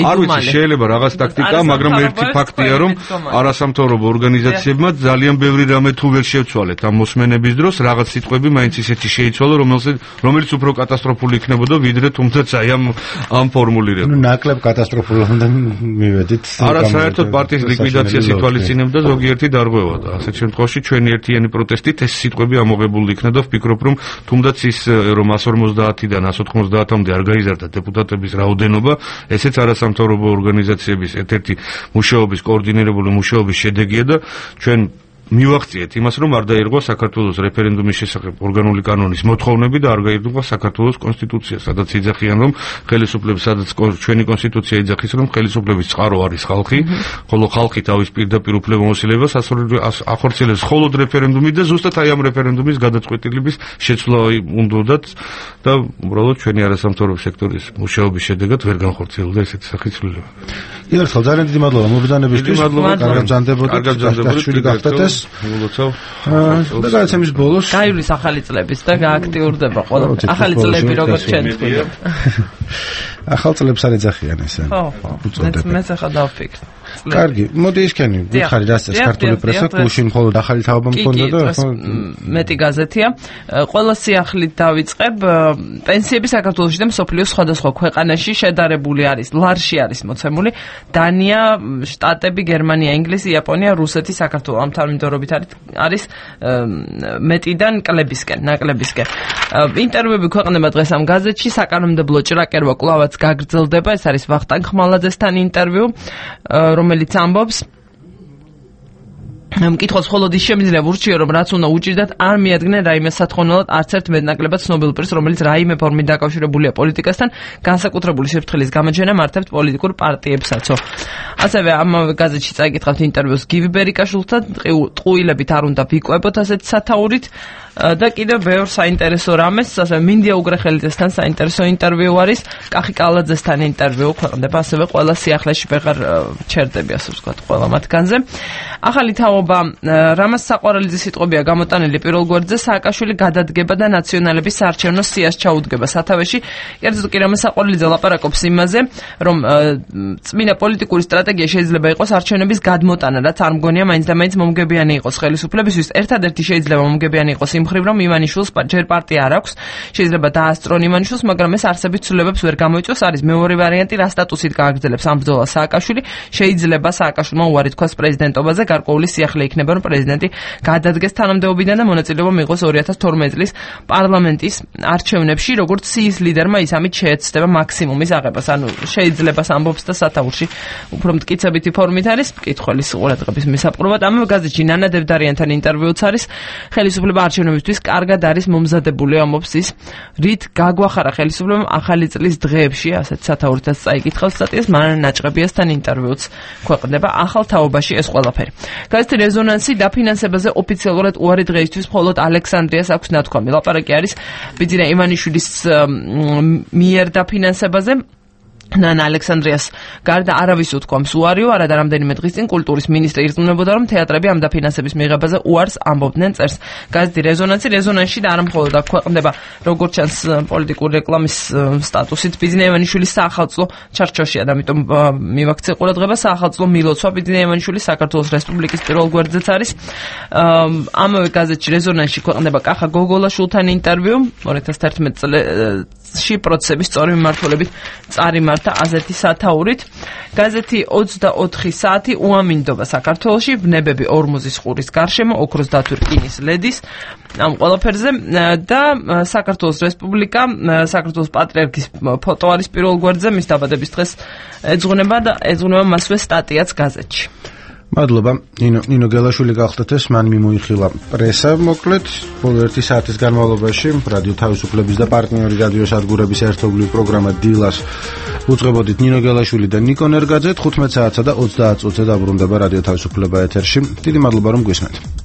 არ ვიცი, შეიძლება რაღაც ტაქტიკა, მაგრამ ერთი ფაქტია, რომ არასამთავრობო ორგანიზაციებმა ძალიან ბევრი რამე თუ ვერ შევცვალეთ ამ მოსმენების დროს, რაღაც სიტყვები მაინც ისეთი შეიცვალა, რომელიც რომელიც უფრო კატასტროფული იქნებოდა, ვიდრე თუმცა აი ამ ამ ფორმულირება. ნუ ნაკლებ კატასტროფულამდე მივედით. არა, საერთოდ პარტიის ლიკვიდაციას ითვალისწინებდა ზოგიერთი დარღვევა და ასეთ შემთხვევაში ჩვენი ერთიანი პროტესტით ეს სიტყვები ამოღებული იქნა და ვფიქრობ, რომ თუნდაც ის რომ εκατს ორმოცდაათიდან εκατს ოთხმოცდაათამდე არ გაიზარდა დეპუტატების რაოდენობა, ესეც არასამთავრობო ორგანიზაციების ერთ-ერთი მუშაობის კოორდინირებული მუშაობის შედეგია და ჩვენ მივახციეთ იმას, რომ არ დაირღვა საქართველოს რეფერენდუმის შესახებ ორგანული კანონის მოთხოვნები და არ გაირღვა საქართველოს კონსტიტუცია, სადაც იძახიან, რომ ხელისუფლების, სადაც ჩვენი კონსტიტუცია იძახის, რომ ხელისუფლების წყარო არის ხალხი, ხოლო ხალხი თავის პირდაპირ უფლებამოსილებას ახორციელებს მხოლოდ რეფერენდუმით და ზუსტად აი ამ რეფერენდუმის გადაწყვეტილების შეცვლა უნდათ და უბრალოდ ჩვენი არასამთავრობო სექტორის მუშაობის შედეგად ვერ განხორციელდა ესეთი სახის ცვლილება. იარსალ, ძალიან დიდი მადლობა მობრძანებისთვის. კარგად ბრძანდებოდეთ. კარგად ბრძანდებოდეთ. მოგლოცავ. და გადაცემის ბოლოს გაივლის ახალი წლების და გააქტიურდება ყველა ახალი წლები როგორც ჩვენ თქვით. ახალ წლებს არ ეძახიან ესე. ხო, ხო. მეც ახლა დავფიქრე. კარგი, მოდი ისქენი, ვიხარი რა წეს ქართული პრესა, გუშინ მხოლოდ ახალი თაობა მქონდა და ხო მეტი გაზეთია. ყველა სიახლით დავიწყებ, პენსიები საქართველოში და მსოფლიოს სხვადასხვა ქვეყანაში შედარებული არის, ლარში არის მოცემული. დანია, შტატები, გერმანია, ინგლისი, იაპონია, რუსეთი, საქართველო ამ თანმიმდევრობით არის მეტიდან კლებისკენ, ნაკლებისკენ. ინტერვიუები ქვეყნდება დღეს ამ გაზეთში, საკანონმდებლო ჭრაკერვა კვლავაც გაგრძელდება, ეს არის ვახტანგ ხმალაძესთან ინტერვიუ, რომელიც ამბობს მკითხოს მხოლოდ ის შემიძლია ურჩიო, რომ რაც უნდა უჭირდათ, არ მიადგნენ რაიმე სათხოვნელად არც ერთ მეტნაკლებად ცნობილ პირს, რომელიც რაიმე ფორმით დაკავშირებულია პოლიტიკასთან, განსაკუთრებული სიფრთხილის გამოჩენა მართებთ პოლიტიკურ პარტიებსაცო. ასევე ამავე გაზეთში წაიკითხავთ ინტერვიუს გივი ბერიკაშვილთან, ტყუილებით არ უნდა ვიკვებოთ ასეთი სათაურით. და კიდევ ბევრ საინტერესო რამეს, ასე მინდია უგრეხელიძესთან საინტერესო ინტერვიუ არის, კახი კალაძესთან ინტერვიუ ქვეყნდება, ასევე ყველა სიახლეში ვეღარ ჩერდები, ასე ვთქვათ, ყველა მათგანზე. ახალი თაობა რამას საყვარელი სიტყვებია გამოტანილი პირველ გვერდზე, სააკაშვილი გადადგება და ნაციონალების საარჩევნო სიას ჩაუდგება სათავეში. კერძოდ კი რამას საყვარელიძე ლაპარაკობს იმაზე, რომ წმინდა პოლიტიკური სტრატეგია შეიძლება იყოს არჩევნების გადმოტანა, რაც არ მგონია მაინც და მაინც მომგებიანი იყოს ხელისუფლებისთვის. ერთადერთი შეიძლება მომგებიანი იყოს იმ მხრივ, რომ ივანიშვილს ჯერ პარტია არ აქვს, შეიძლება დაასწრონ ივანიშვილს, მაგრამ ეს არსებით ცვლილებებს ვერ გამოიწვევს. არის მეორე ვარიანტი, რა სტატუსით გააგრძელებს ამ ბრძოლას სააკაშვილი, შეიძლება სააკაშვილმა უარი თქვას პრეზიდენტობაზე, გარკვეული სიახლე იქნება, რომ პრეზიდენტი გადადგეს თანამდებობიდან და მონაწილეობა მიიღოს ორი ათას თორმეტი წლის პარლამენტის არჩევნებში, როგორც სიის ლიდერმა ის ამით შეეცდება მაქსიმუმის აღებას. ანუ შეიძლება ამბობს და სათაურში უფრო მტკიცებითი ფორმით არის მკითხველის ყურადღების მისაპყრობად. ამ გაზეთში ნანა დევდარიანთან ინტერვიუც არის. ხელისუფლება არჩევნებისთვის კარგად არის მომზადებული, ამბობს ის, რით გაგვახარა ხელისუფლებამ ახალი წლის დღეებში, ასეთ სათაურითაც წაიკითხავს სტატიას, მანანა ნაჭყებიასთან ინტერვიუც ქვეყნდება ახალ თაობაში ეს ყველაფერი. გაზეთი რეზონანსი დაფინანსებაზე ოფიციალურად უარი დღეისთვის მხოლოდ ალექსანდრიას აქვს ნათქვამი. ლაპარაკი არის ბიძინა ივანიშვილის მიერ დაფინანსებაზე. ნანა ალექსანდრიას გარდა არავის უთქვამს უარიო, არადა რამდენიმე დღის წინ კულტურის მინისტრი ირწმუნებოდა, რომ თეატრები ამ დაფინანსების მიღებაზე უარს ამბობდნენ, წერს გაზეთი რეზონანსი. რეზონანსში და არა მხოლოდ აქ ქვეყნდება, როგორც ჩანს პოლიტიკური რეკლამის სტატუსით ბიძინა ივანიშვილის საახალწლო ჩარჩოშია და ამიტომ მივაქცე ყურადღება საახალწლო მილოცვა ბიძინა ივანიშვილის საქართველოს რესპუბლიკის პირველ გვერდზეც არის. ამავე გაზეთში რეზონანსში ქვეყნდება კახა გოგოლაშვილთან ინტერვიუ ორი ათას თერთმეტი წელს პროცესების სწორი მიმართულებით წარიმართა აზეთი სათაურით. გაზეთი ოცდაოთხი საათი უამინდობა საქართველოში, ვნებები ორმოზის ყურის გარშემო, ოქროს დათვი რკინის ლედის, ამ ყველაფერზე და საქართველოს რესპუბლიკა, საქართველოს პატრიარქის ფოტო არის პირველ გვერდზე, მის დაბადების დღეს ეძღვნება და ეძღვნება მასვე სტატიაც გაზეთში. მადლობა. ნინო ნინო გელაშვილი გახდათ ეს, მან მიმოიხილა პრესა, მოკლედ ბოლო ერთი საათის განმავლობაში რადიო თავისუფლების და პარტნიორი რადიო სადგურების ერთობლივი პროგრამა დილას უძღვებოდით ნინო გელაშვილი და ნიკო ნერგაძე. თხუთმეტ საათსა და ოცდაათ წუთზე დაბრუნდება რადიო თავისუფლება ეთერში. დიდი მადლობა რომ გვისმენთ.